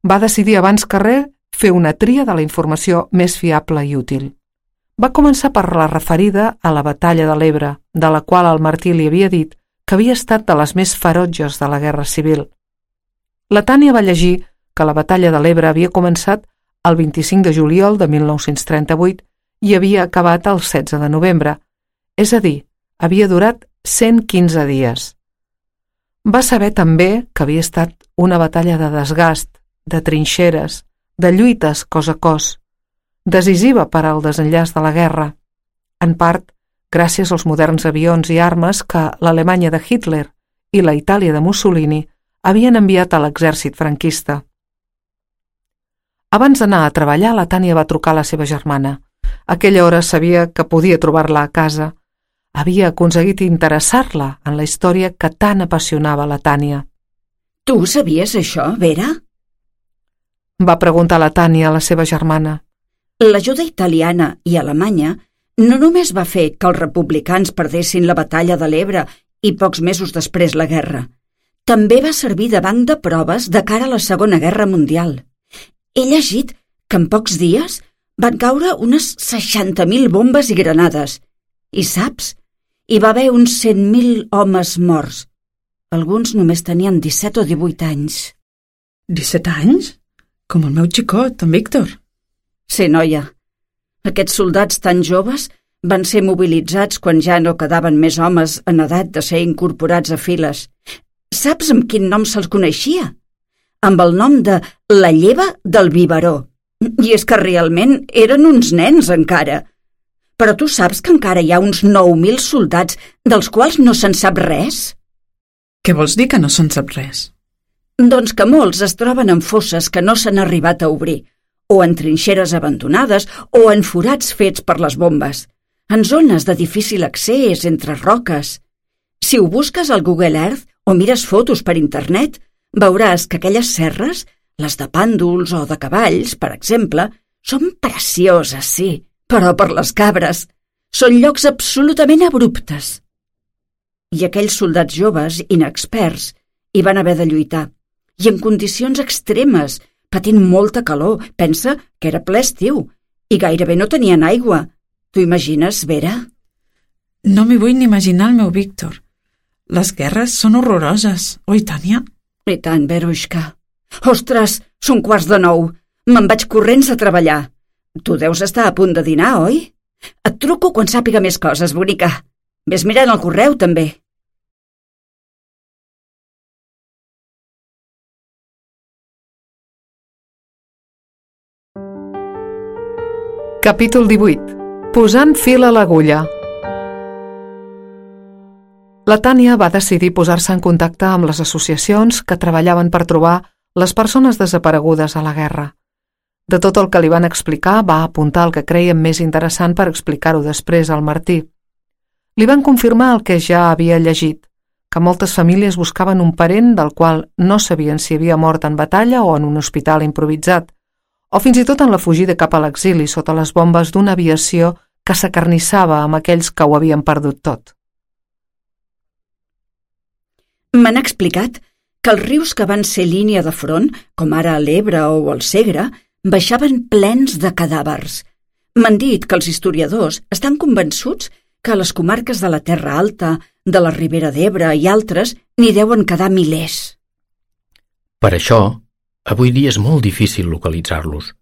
Va decidir abans que res fer una tria de la informació més fiable i útil. Va començar per la referida a la batalla de l'Ebre, de la qual el Martí li havia dit que havia estat de les més ferotges de la Guerra Civil. La Tània va llegir que la batalla de l'Ebre havia començat el 25 de juliol de 1938 i havia acabat el 16 de novembre, és a dir, havia durat 115 dies. Va saber també que havia estat una batalla de desgast, de trinxeres, de lluites cos a cos, decisiva per al desenllaç de la guerra, en part gràcies als moderns avions i armes que l'Alemanya de Hitler i la Itàlia de Mussolini havien enviat a l'exèrcit franquista. Abans d'anar a treballar, la Tània va trucar a la seva germana. A aquella hora sabia que podia trobar-la a casa. Havia aconseguit interessar-la en la història que tan apassionava la Tània. Tu sabies això, Vera? Va preguntar la Tània a la seva germana. L'ajuda italiana i alemanya no només va fer que els republicans perdessin la batalla de l'Ebre i pocs mesos després la guerra, també va servir de banc de proves de cara a la Segona Guerra Mundial. He llegit que en pocs dies van caure unes 60.000 bombes i granades. I saps? Hi va haver uns 100.000 homes morts. Alguns només tenien 17 o 18 anys. 17 anys? Com el meu xicot, en Víctor. Sí, noia. Aquests soldats tan joves van ser mobilitzats quan ja no quedaven més homes en edat de ser incorporats a files. Saps amb quin nom se'ls coneixia? Amb el nom de la lleva del biberó. I és que realment eren uns nens encara. Però tu saps que encara hi ha uns 9.000 soldats dels quals no se'n sap res? Què vols dir que no se'n sap res? Doncs que molts es troben en fosses que no s'han arribat a obrir, o en trinxeres abandonades, o en forats fets per les bombes, en zones de difícil accés entre roques. Si ho busques al Google Earth o mires fotos per internet, veuràs que aquelles serres, les de pàndols o de cavalls, per exemple, són precioses, sí, però per les cabres. Són llocs absolutament abruptes. I aquells soldats joves, inexperts, hi van haver de lluitar. I en condicions extremes, patint molta calor, pensa que era ple estiu, I gairebé no tenien aigua. T'ho imagines, Vera? No m'hi vull ni imaginar el meu Víctor. Les guerres són horroroses, oi, Tània? I tant, Verushka. Ostres, són 8:45. Me'n vaig corrents a treballar. Tu deus estar a punt de dinar, oi? Et truco quan sàpiga més coses, bonica. Ves mirant el correu, també. Capítol 18. Posant fil a l'agulla. La Tània va decidir posar-se en contacte amb les associacions que treballaven per trobar les persones desaparegudes a la guerra. De tot el que li van explicar, va apuntar el que creien més interessant per explicar-ho després al Martí. Li van confirmar el que ja havia llegit, que moltes famílies buscaven un parent del qual no sabien si havia mort en batalla o en un hospital improvisat, o fins i tot en la fugida cap a l'exili sota les bombes d'una aviació que s'acarnissava amb aquells que ho havien perdut tot. M'han explicat que els rius que van ser línia de front, com ara l'Ebre o el Segre, baixaven plens de cadàvers. M'han dit que els historiadors estan convençuts que a les comarques de la Terra Alta, de la Ribera d'Ebre i altres n'hi deuen quedar milers. Per això, avui dia és molt difícil localitzar-los,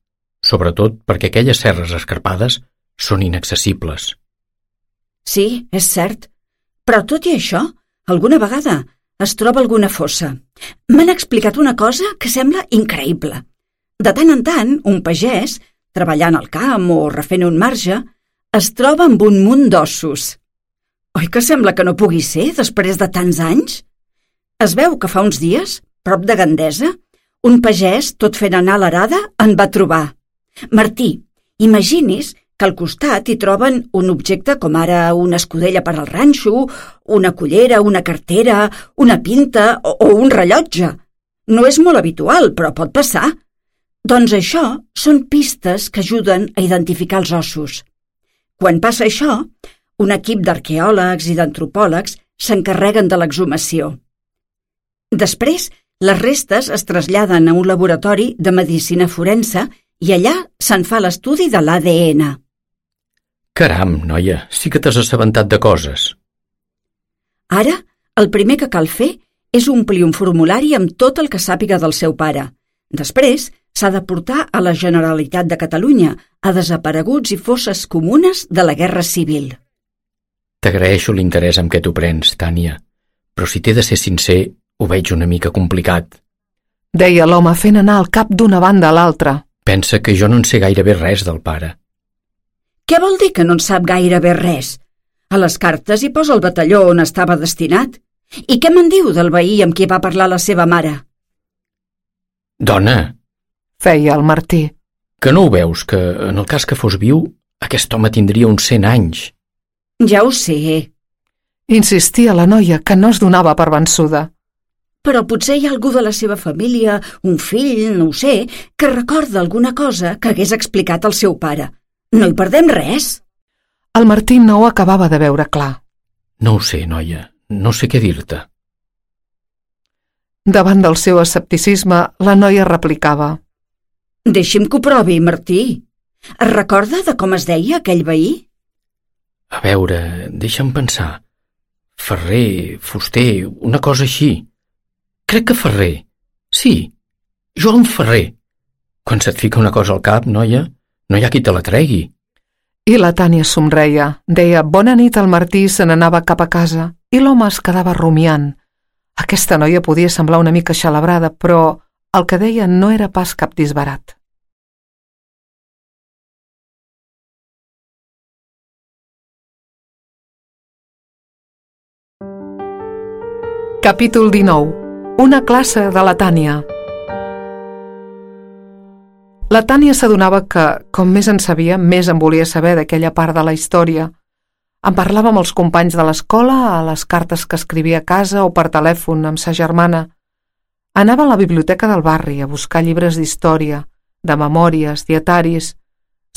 sobretot perquè aquelles serres escarpades són inaccessibles. Sí, és cert, però tot i això, alguna vegada es troba alguna fossa. M'han explicat una cosa que sembla increïble. De tant en tant, un pagès, treballant al camp o refent un marge, es troba amb un munt d'ossos. Oi que sembla que no pugui ser després de tants anys? Es veu que fa uns dies, prop de Gandesa, un pagès, tot fent anar l'arada, en va trobar. Martí, imagini's que al costat hi troben un objecte com ara una escudella per al ranxo, una cullera, una cartera, una pinta o un rellotge. No és molt habitual, però pot passar. Doncs això són pistes que ajuden a identificar els ossos. Quan passa això, un equip d'arqueòlegs i d'antropòlegs s'encarreguen de l'exhumació. Després, les restes es traslladen a un laboratori de medicina forense i allà se'n fa l'estudi de l'ADN. Caram, noia, sí que t'has assabentat de coses. Ara, el primer que cal fer és omplir un formulari amb tot el que sàpiga del seu pare. Després, s'ha de portar a la Generalitat de Catalunya a desapareguts i fosses comunes de la Guerra Civil. T'agraeixo l'interès amb què t'ho prens, Tània, però si t'he de ser sincer, ho veig una mica complicat. Deia l'home fent anar el cap d'una banda a l'altra. Pensa que jo no en sé gairebé res del pare. Què vol dir que no en sap gairebé res? A les cartes hi posa el batalló on estava destinat. I què me'n diu del veí amb qui va parlar la seva mare? Dona, Feia el Martí. que no ho veus, que en el cas que fos viu, aquest home tindria uns 100 anys. Ja ho sé, Insistia la noia, que no es donava per vençuda. però potser hi ha algú de la seva família, un fill, no ho sé, que recorda alguna cosa que hagués explicat al seu pare. No hi perdem res. El Martí no ho acabava de veure clar. No ho sé, noia, no sé què dir-te. Davant del seu escepticisme, la noia replicava. Deixi'm que ho provi, Martí. Es recorda de com es deia aquell veí? A veure, deixa'm pensar. Ferrer, fuster, una cosa així. Crec que Ferrer. Sí, Joan Ferrer. Quan se't fica una cosa al cap, noia, no hi ha qui te la tregui. I la Tània somreia, deia bona nit al Martí i se n'anava cap a casa, i l'home es quedava rumiant. Aquesta noia podia semblar una mica xalabrada, però el que deia no era pas cap disbarat. Capítol 19. Una classe de la Tània. La Tània s'adonava que, com més en sabia, més en volia saber d'aquella part de la història. En parlava amb els companys de l'escola, a les cartes que escrivia a casa o per telèfon amb sa germana. Anava a la biblioteca del barri a buscar llibres d'història, de memòries, dietaris.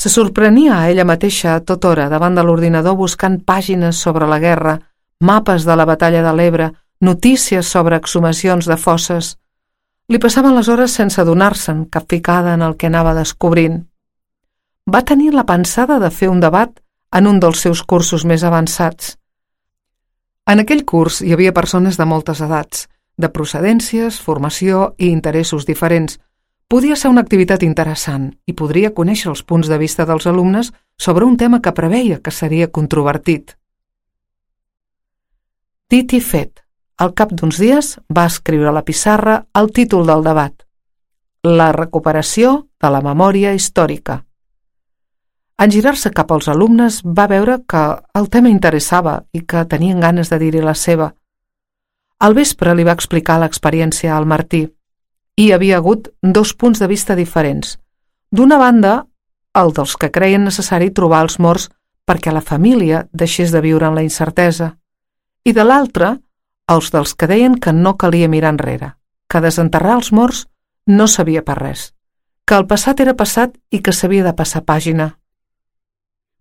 Se sorprenia a ella mateixa a tota hora davant de l'ordinador buscant pàgines sobre la guerra, mapes de la batalla de l'Ebre, notícies sobre exhumacions de fosses. Li passaven les hores sense adonar-se'n, capficada en el que anava descobrint. va tenir la pensada de fer un debat en un dels seus cursos més avançats. En aquell curs hi havia persones de moltes edats, de procedències, formació i interessos diferents. Podia ser una activitat interessant i podria conèixer els punts de vista dels alumnes sobre un tema que preveia que seria controvertit. Dit i fet, al cap d'uns dies va escriure a la pissarra el títol del debat: La recuperació de la memòria històrica. En girar-se cap als alumnes va veure que el tema interessava i que tenien ganes de dir-hi la seva. Al vespre li va explicar l'experiència al Martí. Hi havia hagut dos punts de vista diferents. D'una banda, el dels que creien necessari trobar els morts perquè la família deixés de viure en la incertesa, i de l'altra, els dels que deien que no calia mirar enrere, que desenterrar els morts no servia per res, que el passat era passat i que s'havia de passar pàgina.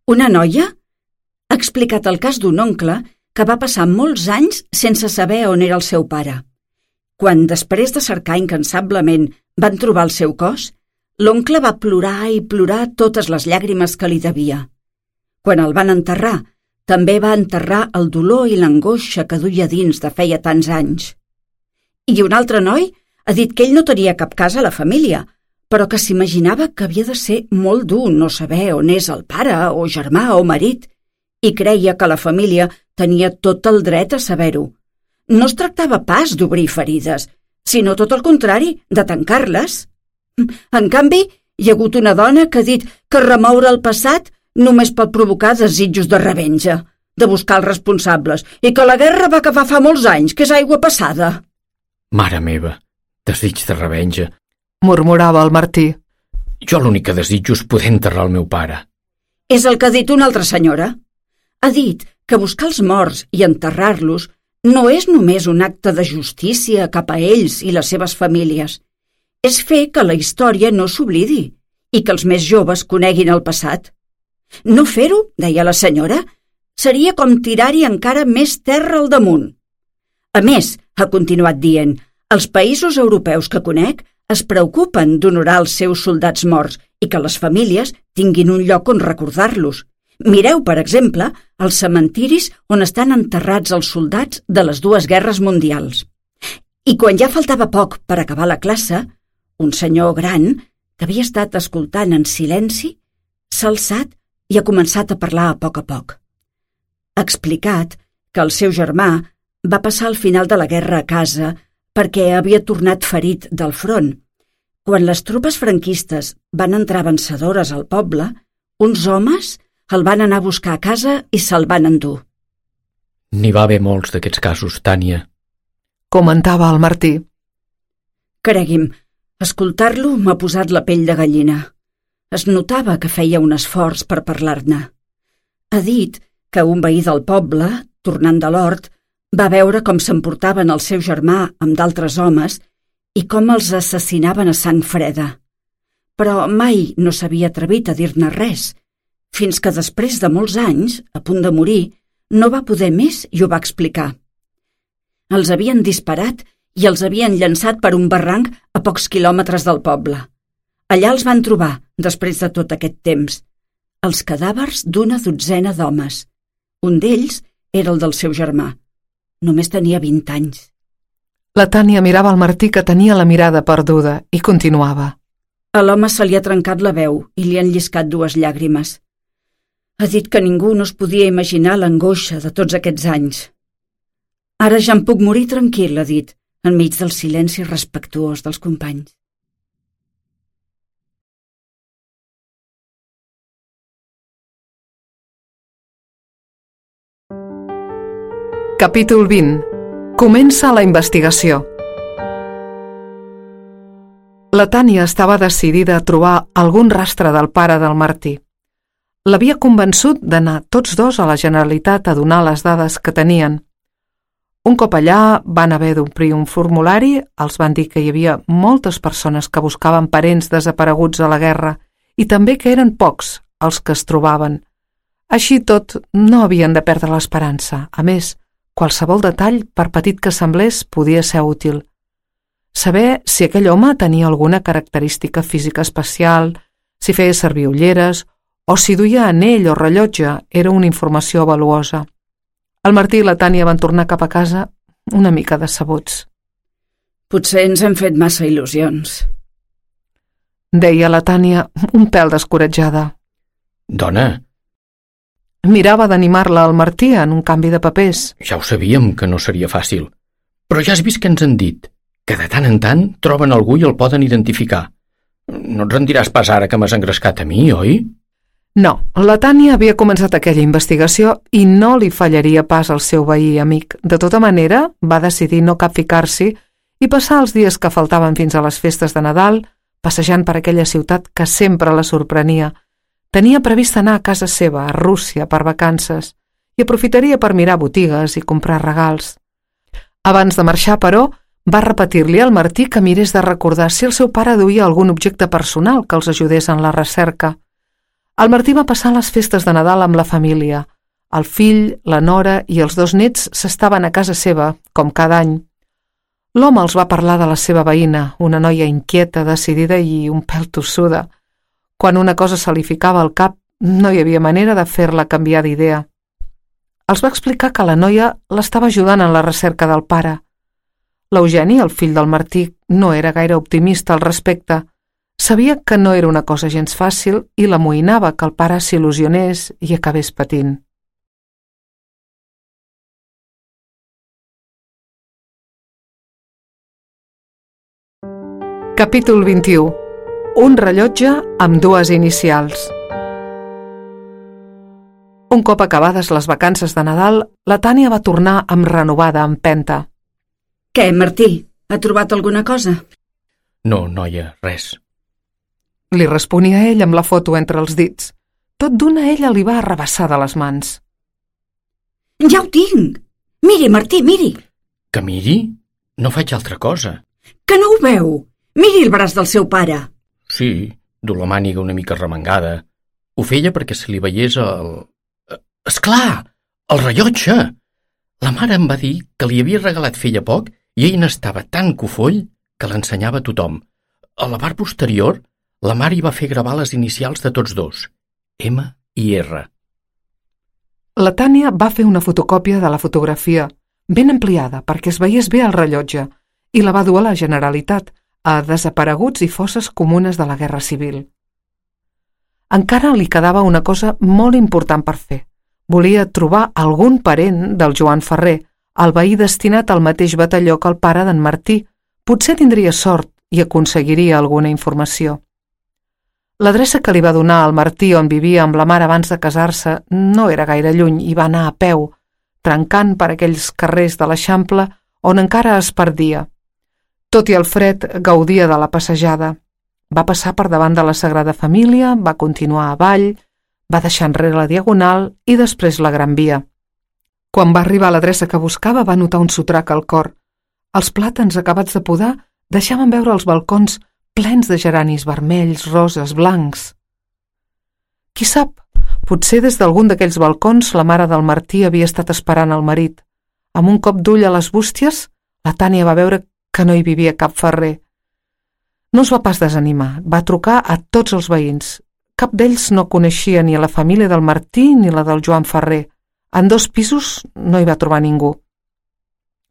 Una noia ha explicat el cas d'un oncle que va passar molts anys sense saber on era el seu pare. Quan, després de cercar incansablement, van trobar el seu cos, l'oncle va plorar i plorar totes les llàgrimes que li devia. Quan el van enterrar, també va enterrar el dolor i l'angoixa que duia dins de feia tants anys. I un altre noi ha dit que ell no tenia cap cas a la família, però que s'imaginava que havia de ser molt dur no saber on és el pare o germà o marit, i creia que la família tenia tot el dret a saber-ho. No es tractava pas d'obrir ferides, sinó tot el contrari, de tancar-les. En canvi, hi ha hagut una dona que ha dit que remoure el passat només pot provocar desitjos de revenja, de buscar els responsables, i que la guerra va acabar fa molts anys, que és aigua passada. Mare meva, desig de revenja, Murmurava el Martí. Jo l'únic que desitjo és poder enterrar el meu pare. És el que ha dit una altra senyora. Ha dit que buscar els morts i enterrar-los no és només un acte de justícia cap a ells i les seves famílies. És fer que la història no s'oblidi i que els més joves coneguin el passat. No fer-ho, deia la senyora, seria com tirar-hi encara més terra al damunt. A més, ha continuat dient, els països europeus que conec es preocupen d'honorar els seus soldats morts i que les famílies tinguin un lloc on recordar-los. Mireu, per exemple, els cementiris on estan enterrats els soldats de les dues guerres mundials. I quan ja faltava poc per acabar la classe, un senyor gran, que havia estat escoltant en silenci, s'ha alçat i ha començat a parlar a poc. Ha explicat que el seu germà va passar al final de la guerra a casa perquè havia tornat ferit del front. Quan les tropes franquistes van entrar vencedores al poble, uns homes el van anar a buscar a casa i se'l van endur. N'hi va haver molts d'aquests casos, Tània. Comentava el Martí. Cregui'm, escoltar-lo m'ha posat la pell de gallina. Es notava que feia un esforç per parlar-ne. Ha dit que un veí del poble, tornant de l'hort, va veure com s'emportaven el seu germà amb d'altres homes i com els assassinaven a sang freda. Però mai no s'havia atrevit a dir-ne res, fins que després de molts anys, a punt de morir, no va poder més i ho va explicar. Els havien disparat i els havien llançat per un barranc a pocs quilòmetres del poble. Allà els van trobar, després de tot aquest temps, els cadàvers d'una dotzena d'homes. Un d'ells era el del seu germà. Només tenia 20 anys. La Tània mirava el Martí, que tenia la mirada perduda, i continuava. A l'home se li ha trencat la veu i li han lliscat 2 llàgrimes. Ha dit que ningú no es podia imaginar l'angoixa de tots aquests anys. Ara ja em puc morir tranquil, ha dit, enmig del silenci respectuós dels companys. Capítol 20. Comença la investigació. La Tània estava decidida a trobar algun rastre del pare del Martí. L'havia convençut d'anar tots dos a la Generalitat a donar les dades que tenien. Un cop allà van haver d'omplir un formulari, els van dir que hi havia moltes persones que buscaven parents desapareguts a la guerra i també que eren pocs els que es trobaven. Així tot, no havien de perdre l'esperança. A més, qualsevol detall, per petit que semblés, podia ser útil. Saber si aquell home tenia alguna característica física especial, si feia servir ulleres o si duia anell o rellotge era una informació valuosa. El Martí i la Tània van tornar cap a casa una mica decebuts. Potser ens hem fet massa il·lusions, deia la Tània, un pèl descoratjada. Dona, Mirava d'animar-la al Martí en un canvi de papers. ja ho sabíem que no seria fàcil. Però ja has vist què ens han dit, que de tant en tant troben algú i el poden identificar. No et rendiràs pas ara que m'has engrescat a mi, oi? No, la Tània havia començat aquella investigació i no li fallaria pas al seu veí i amic. De tota manera, va decidir no capficar-s'hi i passar els dies que faltaven fins a les festes de Nadal passejant per aquella ciutat que sempre la sorprenia. Tenia previst anar a casa seva, a Rússia, per vacances, i aprofitaria per mirar botigues i comprar regals. Abans de marxar, però, va repetir-li al Martí que mirés de recordar si el seu pare duia algun objecte personal que els ajudés en la recerca. El Martí va passar les festes de Nadal amb la família. El fill, la nora i els 2 nets s'estaven a casa seva, com cada any. L'home els va parlar de la seva veïna, una noia inquieta, decidida i un pèl tossuda. Quan una cosa se li ficava al cap, no hi havia manera de fer-la canviar d'idea. Els va explicar que la noia l'estava ajudant en la recerca del pare. L'Eugeni, el fill del Martí, no era gaire optimista al respecte. Sabia que no era una cosa gens fàcil i l'amoïnava que el pare s'il·lusionés i acabés patint. Capítol 21. Un rellotge amb 2 inicials. Un cop acabades les vacances de Nadal, la Tània va tornar amb renovada empenta. Què, Martí? Ha trobat alguna cosa? No, noia, res. Li responia ell amb la foto entre els dits. Tot d'una ella li va arrabassar de les mans. Ja ho tinc! Miri, Martí, miri! Que miri? No faig altra cosa. Que no ho veu? Miri el braç del seu pare! Sí, du la màniga una mica remengada. Ho feia perquè se li veiés el... Esclar! El rellotge! La mare em va dir que li havia regalat feia poc i ell n'estava tan cofoll que l'ensenyava a tothom. A la part posterior, la mare hi va fer gravar les inicials de tots 2, M i R. La Tània va fer una fotocòpia de la fotografia, ben ampliada perquè es veiés bé el rellotge, i la va dur a la Generalitat, a desapareguts i fosses comunes de la Guerra Civil. Encara li quedava una cosa molt important per fer. Volia trobar algun parent del Joan Ferrer, el veí destinat al mateix batalló que el pare d'en Martí. Potser tindria sort i aconseguiria alguna informació. L'adreça que li va donar al Martí on vivia amb la mare abans de casar-se no era gaire lluny i va anar a peu, trencant per aquells carrers de l'Eixample on encara es perdia. Tot i el fred, gaudia de la passejada. Va passar per davant de la Sagrada Família, va continuar avall, va deixar enrere la Diagonal i després la Gran Via. Quan va arribar a l'adreça que buscava va notar un sotrac al cor. Els plàtans acabats de podar deixaven veure els balcons plens de geranis vermells, roses, blancs. Qui sap, potser des d'algun d'aquells balcons la mare del Martí havia estat esperant el marit. Amb un cop d'ull a les bústies, la Tània va veure que no hi vivia cap ferrer. No es va pas desanimar, va trucar a tots els veïns. Cap d'ells no coneixia ni a la família del Martí ni la del Joan Ferrer. En 2 pisos no hi va trobar ningú.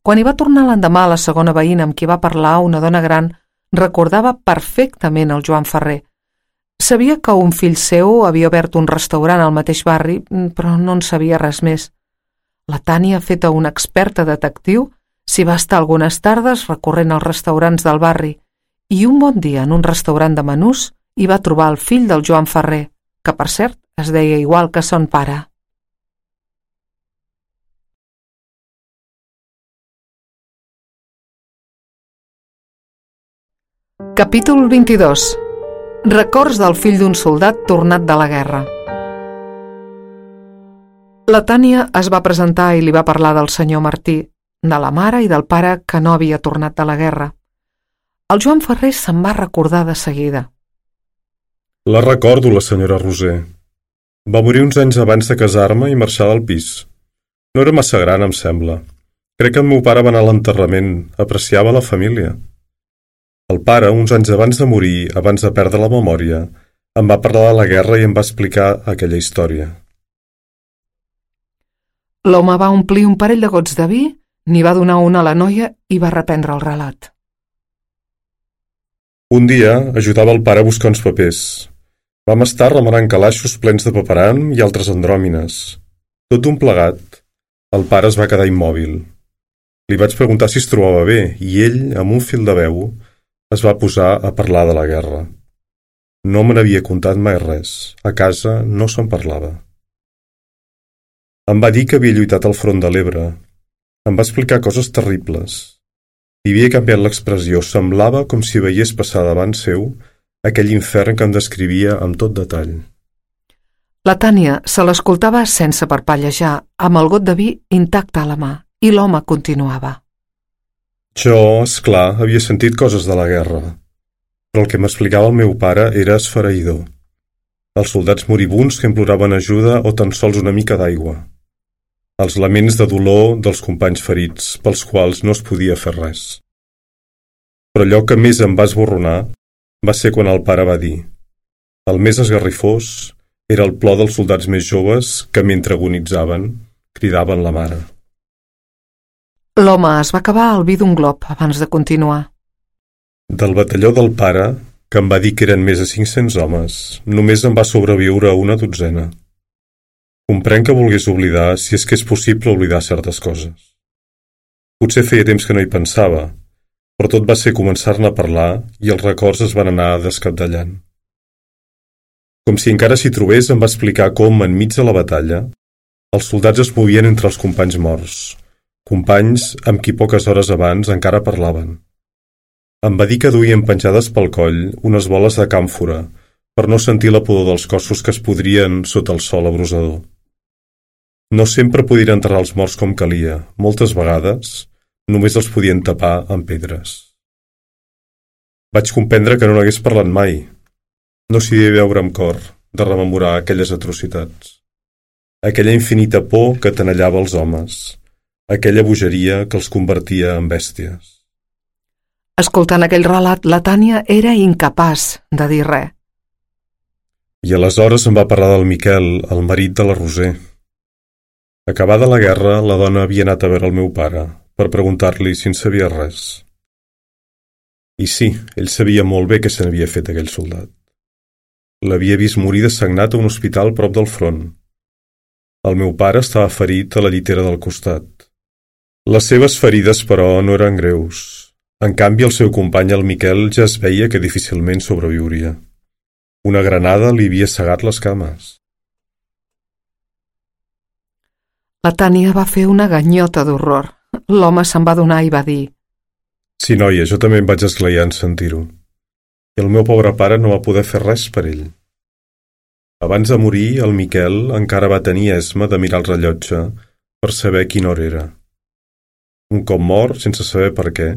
Quan hi va tornar l'endemà la segona veïna amb qui va parlar, una dona gran, recordava perfectament el Joan Ferrer. Sabia que un fill seu havia obert un restaurant al mateix barri, però no en sabia res més. La Tània, feta una experta detectiu, s'hi va estar algunes tardes recorrent als restaurants del barri i un bon dia en un restaurant de menús hi va trobar el fill del Joan Ferrer, que per cert es deia igual que son pare. Capítol 22. Records del fill d'un soldat tornat de la guerra. La Tània es va presentar i li va parlar del senyor Martí, de la mare i del pare que no havia tornat de la guerra. El Joan Ferrer se'n va recordar de seguida. La recordo, la senyora Roser. Va morir uns anys abans de casar-me i marxar del pis. No era massa gran, em sembla. Crec que el meu pare va anar a l'enterrament, apreciava la família. El pare, uns anys abans de morir, abans de perdre la memòria, Em va parlar de la guerra i em va explicar aquella història. L'home va omplir un parell de gots de vi, n'hi va donar una a la noia i va reprendre el relat. Un dia ajudava el pare a buscar uns papers. Vam estar remenant calaixos plens de paperam i altres andròmines. Tot un plegat. El pare es va quedar immòbil. Li vaig preguntar si es trobava bé i ell, amb un fil de veu, es va posar a parlar de la guerra. No me n'havia contat mai res. A casa no se'n parlava. Em va dir que havia lluitat al front de l'Ebre. Em va explicar coses terribles. I havia canviat l'expressió. Semblava com si veiés passar davant seu aquell infern que em descrivia amb tot detall. La Tània se l'escoltava sense parpellejar, amb el got de vi intacte a la mà, i l'home continuava. Jo, esclar, havia sentit coses de la guerra, però el que m'explicava el meu pare era esfereïdor. Els soldats moribuns que imploraven ajuda o tan sols una mica d'aigua. Els laments de dolor dels companys ferits, pels quals no es podia fer res. Però allò que més em va esborronar va ser quan el pare va dir: el més esgarrifós era el plor dels soldats més joves que, mentre agonitzaven, cridaven la mare. L'home es va acabar el vi d'un glob abans de continuar. Del batalló del pare, que em va dir que eren més de 500 homes, només en va sobreviure una dotzena. Comprenc que volgués oblidar, si és que és possible oblidar certes coses. Potser feia temps que no hi pensava, però tot va ser començar-ne a parlar i els records es van anar descabdellant. Com si encara s'hi trobés, em va explicar com, enmig de la batalla, els soldats es movien entre els companys morts, companys amb qui poques hores abans encara parlaven. Em va dir que duien penjades pel coll unes boles de càmfora per no sentir la pudor dels cossos que es podrien sota el sol abrusador. No sempre podien enterrar els morts com calia, moltes vegades només els podien tapar amb pedres. Vaig comprendre que no n'hagués parlat mai. No s'hi devia veure amb cor de rememorar aquelles atrocitats. Aquella infinita por que tenallava els homes, aquella bogeria que els convertia en bèsties. Escoltant aquell relat, la Tània era incapaç de dir res. I aleshores em va parlar del Miquel, el marit de la Roser. Acabada la guerra, la dona havia anat a veure el meu pare per preguntar-li si en sabia res. I sí, ell sabia molt bé què se n'havia fet aquell soldat. L'havia vist morir dessagnat a un hospital prop del front. El meu pare estava ferit a la llitera del costat. Les seves ferides, però, no eren greus. En canvi, el seu company, el Miquel, ja es veia que difícilment sobreviuria. Una granada li havia cegat les cames. La Tània va fer una ganyota d'horror. L'home se'n va donar i va dir: Sí, noia, jo també em vaig esglaiar en sentir-ho. I el meu pobre pare no va poder fer res per ell. Abans de morir, el Miquel encara va tenir esma de mirar el rellotge per saber quina hora era. Un cop mort, sense saber per què,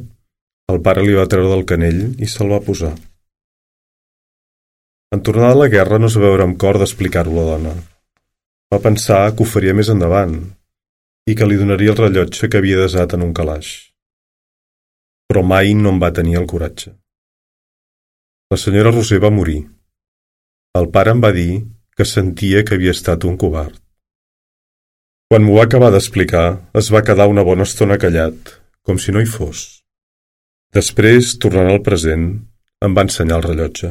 el pare li va treure del canell i se'l va posar. En tornar de la guerra no es va veure amb cor d'explicar-ho a la dona. Va pensar que ho faria més endavant i que li donaria el rellotge que havia desat en un calaix. Però mai no en va tenir el coratge. La senyora Roser va morir. El pare em va dir que sentia que havia estat un covard. Quan m'ho va acabar d'explicar, es va quedar una bona estona callat, com si no hi fos. Després, tornant al present, em va ensenyar el rellotge.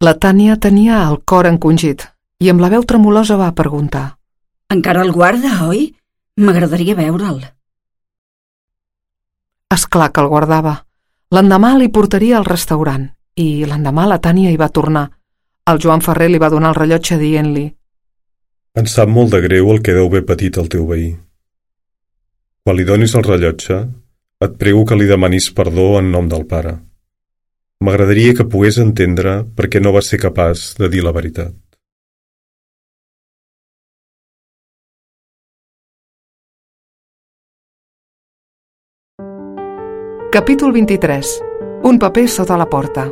La Tània tenia el cor encongit i amb la veu tremolosa va preguntar: Encara el guarda, oi? M'agradaria veure'l. Esclar que el guardava. L'endemà li portaria al restaurant i l'endemà la Tània hi va tornar. El Joan Ferrer li va donar el rellotge dient-li: Em sap molt de greu el que deu haver patit el teu veí. Quan li donis el rellotge, et prego que li demanis perdó en nom del pare. M'agradaria que pogués entendre per què no va ser capaç de dir la veritat. Capítol 23. Un paper sota la porta.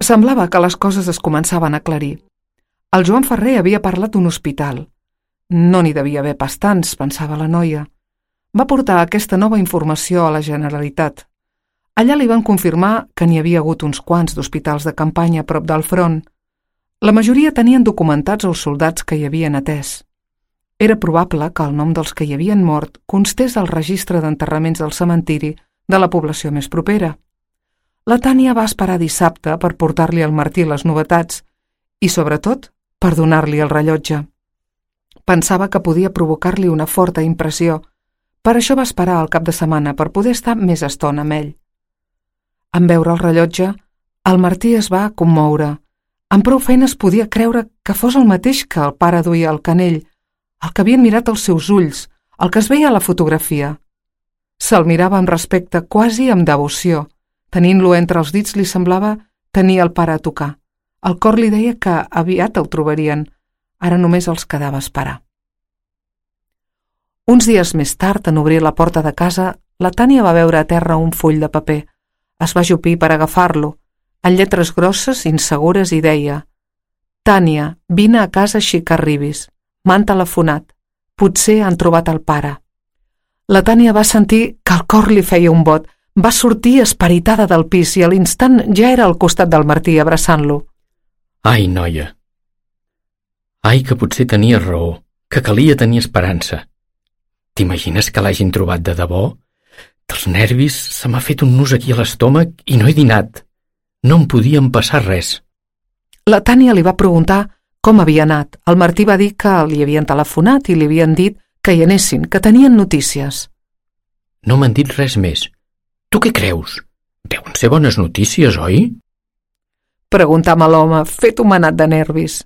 Semblava que les coses es començaven a aclarir. El Joan Ferrer havia parlat d'un hospital. No n'hi devia haver pas tants, pensava la noia. Va portar aquesta nova informació a la Generalitat. Allà li van confirmar que n'hi havia hagut uns quants d'hospitals de campanya a prop del front. La majoria tenien documentats els soldats que hi havien atès. Era probable que el nom dels que hi havien mort constés al registre d'enterraments del cementiri de la població més propera. La Tània va esperar dissabte per portar-li al Martí les novetats i, sobretot, per donar-li el rellotge. Pensava que podia provocar-li una forta impressió. Per això va esperar el cap de setmana per poder estar més estona amb ell. En veure el rellotge, el Martí es va commoure. Amb prou feines podia creure que fos el mateix que el pare duia al canell, el que havien mirat els seus ulls, el que es veia a la fotografia. Se'l mirava amb respecte, quasi amb devoció. Tenint-lo entre els dits li semblava tenir el pare a tocar. El cor li deia que aviat el trobarien. Ara només els quedava esperar. Uns dies més tard, en obrir la porta de casa, la Tània va veure a terra un full de paper. Es va ajupir per agafar-lo, en lletres grosses, insegures, i deia: «Tània, vine a casa així que arribis. M'han telefonat. Potser han trobat el pare». La Tània va sentir que el cor li feia un bot. Va sortir esperitada del pis i a l'instant ja era al costat del Martí abraçant-lo. Ai, noia! Ai, que potser tenies raó, que calia tenir esperança. T'imagines que l'hagin trobat de debò? Dels nervis se m'ha fet un nus aquí a l'estómac i no he dinat. No em podien passar res. La Tània li va preguntar com havia anat. El Martí va dir que li havien telefonat i li havien dit que hi anessin, que tenien notícies. No m'han dit res més. Tu què creus? Deuen ser bones notícies, oi? Preguntava l'home, fet homenat de nervis.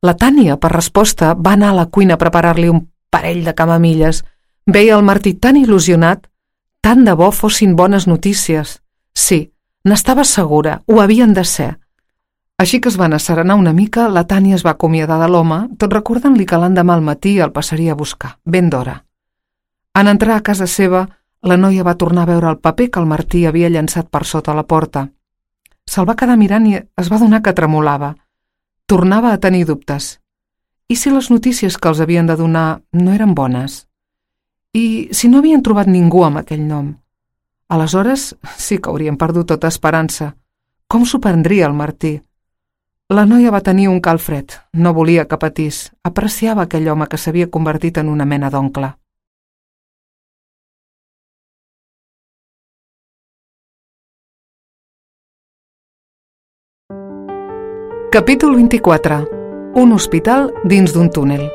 La Tània, per resposta, va anar a la cuina a preparar-li un parell de camamilles. Veia el Martí tan il·lusionat. Tant de bo fossin bones notícies. Sí, n'estava segura, ho havien de ser. Així que es van asserenar una mica, la Tània es va acomiadar de l'home, tot recordant-li que l'endemà al matí el passaria a buscar, ben d'hora. En entrar a casa seva, la noia va tornar a veure el paper que el Martí havia llançat per sota la porta. Se'l va quedar mirant i es va adonar que tremolava. Tornava a tenir dubtes. I si les notícies que els havien de donar no eren bones? I si no havien trobat ningú amb aquell nom? Aleshores sí que haurien perdut tota esperança. Com s'ho prendria el Martí? La noia va tenir un calfred. No volia que patís. Apreciava aquell home que s'havia convertit en una mena d'oncle. Capítol 24. Un hospital dins d'un túnel.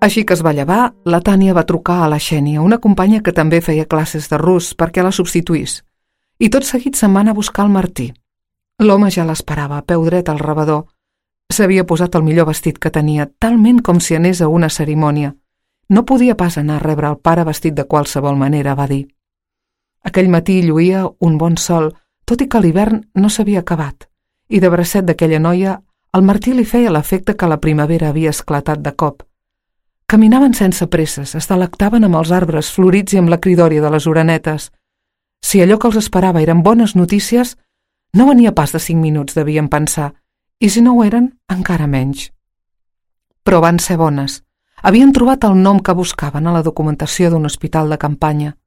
Així que es va llevar, la Tània va trucar a la Xènia, una companya que també feia classes de rus, perquè la substituís. I tot seguit se'n va anar a buscar el Martí. L'home ja l'esperava, a peu dret al rebedor. S'havia posat el millor vestit que tenia, talment com si anés a una cerimònia. No podia pas anar a rebre el pare vestit de qualsevol manera, va dir. Aquell matí lluïa un bon sol, tot i que l'hivern no s'havia acabat, i de bracet d'aquella noia, al Martí li feia l'efecte que la primavera havia esclatat de cop. Caminaven sense presses, es delectaven amb els arbres florits i amb la cridòria de les orenetes. Si allò que els esperava eren bones notícies, no venia pas de 5 minuts, devien pensar, i si no ho eren, encara menys. Però van ser bones. Havien trobat el nom que buscaven a la documentació d'un hospital de campanya.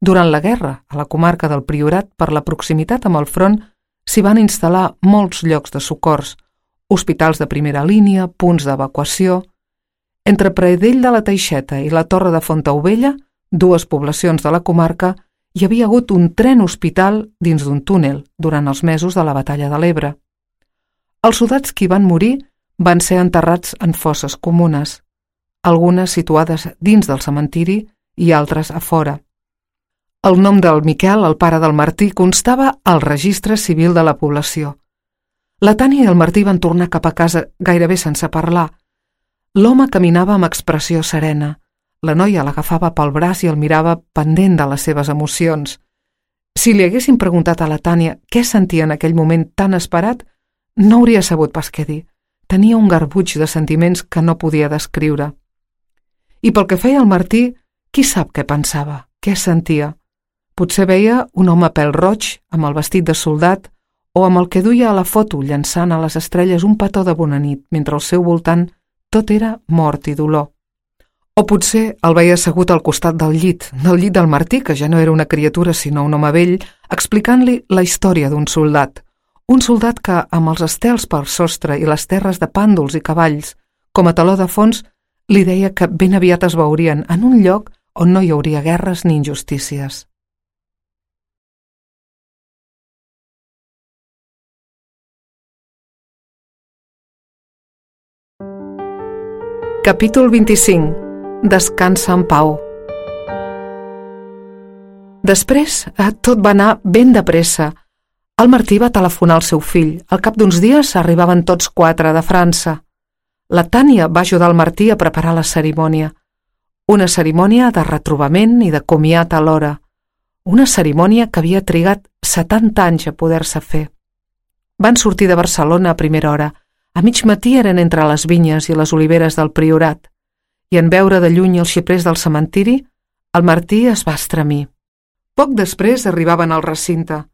Durant la guerra, a la comarca del Priorat, per la proximitat amb el front, s'hi van instal·lar molts llocs de socors, hospitals de primera línia, punts d'evacuació. Entre Pradell de la Teixeta i la Torre de Fontaubella, 2 poblacions de la comarca, hi havia hagut un tren-hospital dins d'un túnel durant els mesos de la Batalla de l'Ebre. Els soldats que hi van morir van ser enterrats en fosses comunes, algunes situades dins del cementiri i altres a fora. El nom del Miquel, el pare del Martí, constava al registre civil de la població. La Tània i el Martí van tornar cap a casa gairebé sense parlar. L'home caminava amb expressió serena. La noia l'agafava pel braç i el mirava pendent de les seves emocions. Si li haguessin preguntat a la Tània què sentia en aquell moment tan esperat, no hauria sabut pas què dir. Tenia un garbuix de sentiments que no podia descriure. I pel que feia al Martí, qui sap què pensava, què sentia? Potser veia un home pèl-roig amb el vestit de soldat o amb el que duia a la foto llançant a les estrelles un petó de bona nit, mentre al seu voltant tot era mort i dolor. O potser el veia assegut al costat del llit del Martí, que ja no era una criatura sinó un home vell, explicant-li la història d'un soldat. Un soldat que, amb els estels per sostre i les terres de pàndols i cavalls, com a taló de fons, li deia que ben aviat es veurien en un lloc on no hi hauria guerres ni injustícies. Capítol 25. Descansa en pau. Després, tot va anar ben de pressa. El Martí va telefonar al seu fill. Al cap d'uns dies arribaven tots 4 de França. La Tània va ajudar el Martí a preparar la cerimònia. Una cerimònia de retrobament i de comiat alhora. Una cerimònia que havia trigat 70 anys a poder-se fer. Van sortir de Barcelona a primera hora. A mig matí eren entre les vinyes i les oliveres del Priorat, i en veure de lluny els xiprers del cementiri, el Martí es va estremir. Poc després arribaven al recinte.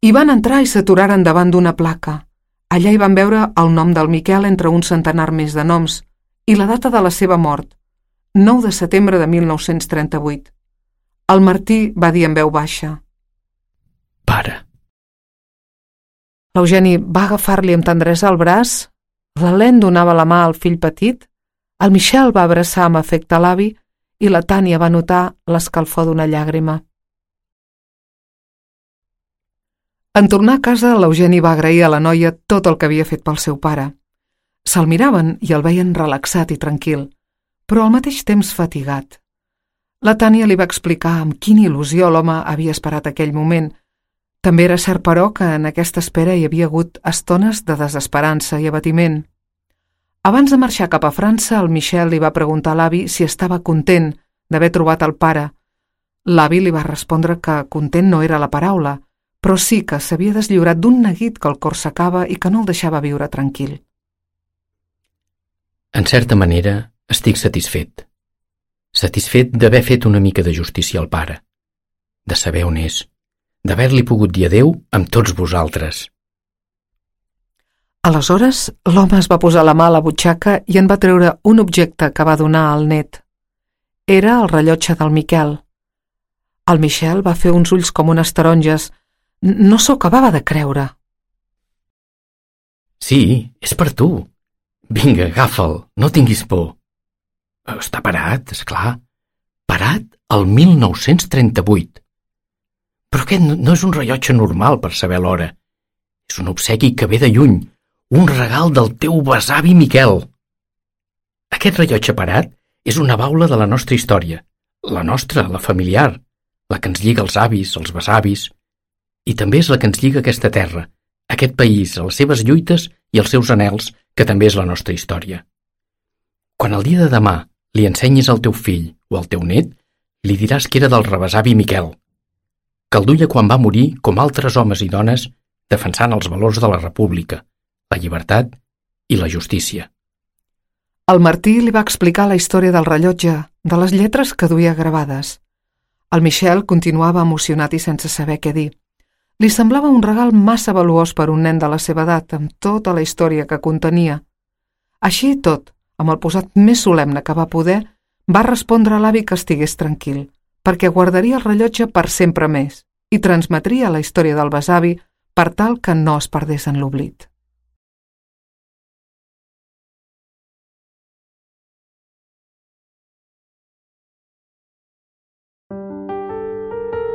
Hi van entrar i s'aturaren davant d'una placa. Allà hi van veure el nom del Miquel entre un centenar més de noms i la data de la seva mort, 9 de setembre de 1938. El Martí va dir en veu baixa: Pare. L'Eugeni va agafar-li amb tendresa el braç, l'Helene donava la mà al fill petit, el Michel va abraçar amb afecte l'avi i la Tània va notar l'escalfor d'una llàgrima. En tornar a casa, l'Eugeni va agrair a la noia tot el que havia fet pel seu pare. Se'l miraven i el veien relaxat i tranquil, però al mateix temps fatigat. La Tània li va explicar amb quina il·lusió l'home havia esperat aquell moment. També era cert, però, que en aquesta espera hi havia hagut estones de desesperança i abatiment. Abans de marxar cap a França, el Michel li va preguntar a l'avi si estava content d'haver trobat el pare. L'avi li va respondre que content no era la paraula, però sí que s'havia deslliurat d'un neguit que el cor secava i que no el deixava viure tranquil. En certa manera, estic satisfet. Satisfet d'haver fet una mica de justícia al pare, de saber on és, d'haver-li pogut dir adéu amb tots vosaltres. Aleshores, l'home es va posar la mà a la butxaca i en va treure un objecte que va donar al net. Era el rellotge del Miquel. El Michel va fer uns ulls com unes taronges. No s'ho acabava de creure. Sí, és per tu. Vinga, agafa'l, no tinguis por. Està parat, és clar. Parat al 1938. Però aquest no és un rellotge normal per saber l'hora. És un obsequi que ve de lluny, un regal del teu besavi Miquel. Aquest rellotge parat és una baula de la nostra història, la nostra, la familiar, la que ens lliga els avis, els besavis, i també és la que ens lliga aquesta terra, aquest país, a les seves lluites i els seus anhels, que també és la nostra història. Quan el dia de demà li ensenyis al teu fill o al teu net, li diràs que era del rebesavi Miquel, que el duia quan va morir com altres homes i dones defensant els valors de la república, la llibertat i la justícia. El Martí li va explicar la història del rellotge, de les lletres que duia gravades. El Michel continuava emocionat i sense saber què dir. Li semblava un regal massa valuós per un nen de la seva edat, amb tota la història que contenia. Així i tot, amb el posat més solemne que va poder, va respondre a l'avi que estigués tranquil, perquè guardaria el rellotge per sempre més i transmetria la història del besavi per tal que no es perdés en l'oblit.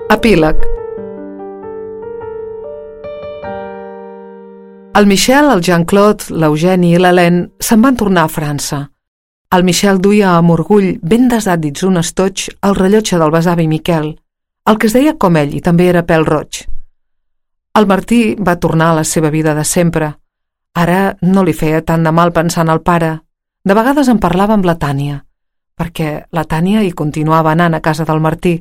Epíleg. El Michel, el Jean-Claude, l'Eugeni i l'Helene se'n van tornar a França. El Michel duia amb orgull ben desat dins un estoig el rellotge del besavi Miquel, el que es deia com ell i també era pèl roig. El Martí va tornar a la seva vida de sempre. Ara no li feia tant de mal pensar en el pare. De vegades en parlava amb la Tània, perquè la Tània hi continuava anant a casa del Martí.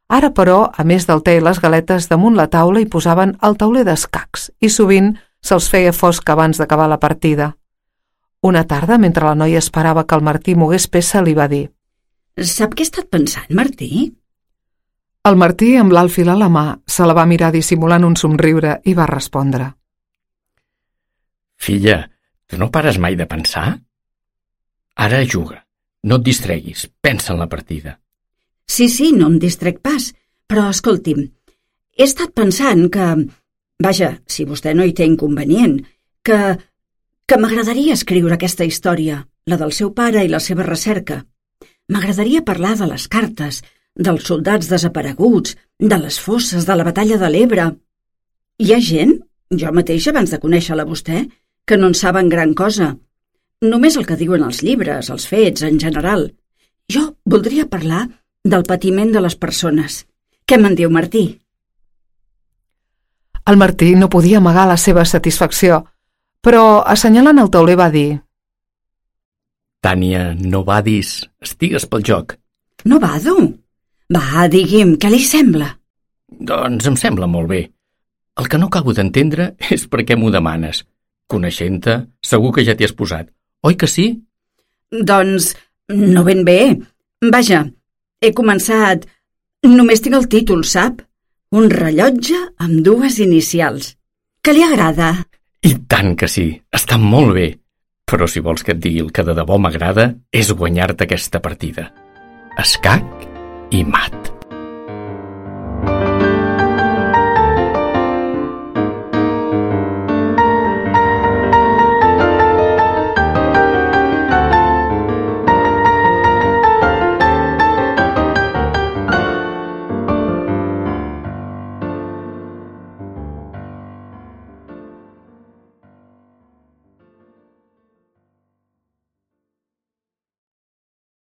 Ara, però, a més del te i les galetes, damunt la taula hi posaven el tauler d'escacs i sovint se'ls feia fosc abans d'acabar la partida. Una tarda, mentre la noia esperava que el Martí mogués peça, li va dir: Sap què he estat pensant, Martí? El Martí, amb l'alfil a la mà, se la va mirar dissimulant un somriure i va respondre: Filla, tu no pares mai de pensar? Ara juga. No et distreguis, pensa en la partida. Sí, no em distrec pas, però escolti'm, he estat pensant que... Vaja, si vostè no hi té inconvenient, que m'agradaria escriure aquesta història, la del seu pare i la seva recerca. M'agradaria parlar de les cartes, dels soldats desapareguts, de les fosses, de la batalla de l'Ebre. Hi ha gent, jo mateixa abans de conèixer-la vostè, que no en saben gran cosa. Només el que diuen els llibres, els fets, en general. Jo voldria parlar del patiment de les persones. Què me'n diu, Martí? El Martí no podia amagar la seva satisfacció, però, assenyalant el tauler, va dir: Tània, no vadis, estigues pel joc. No vado? Va, digui'm, què li sembla? Doncs em sembla molt bé. El que no acabo d'entendre és per què m'ho demanes. Coneixent-te, segur que ja t'hi has posat. Oi que sí? Doncs no ben bé. Vaja, he començat... Només tinc el títol, sap? Un rellotge amb 2 inicials. Que li agrada? I tant que sí, està molt bé. Però si vols que et digui el que de debò m'agrada és guanyar-te aquesta partida. Escac i mat.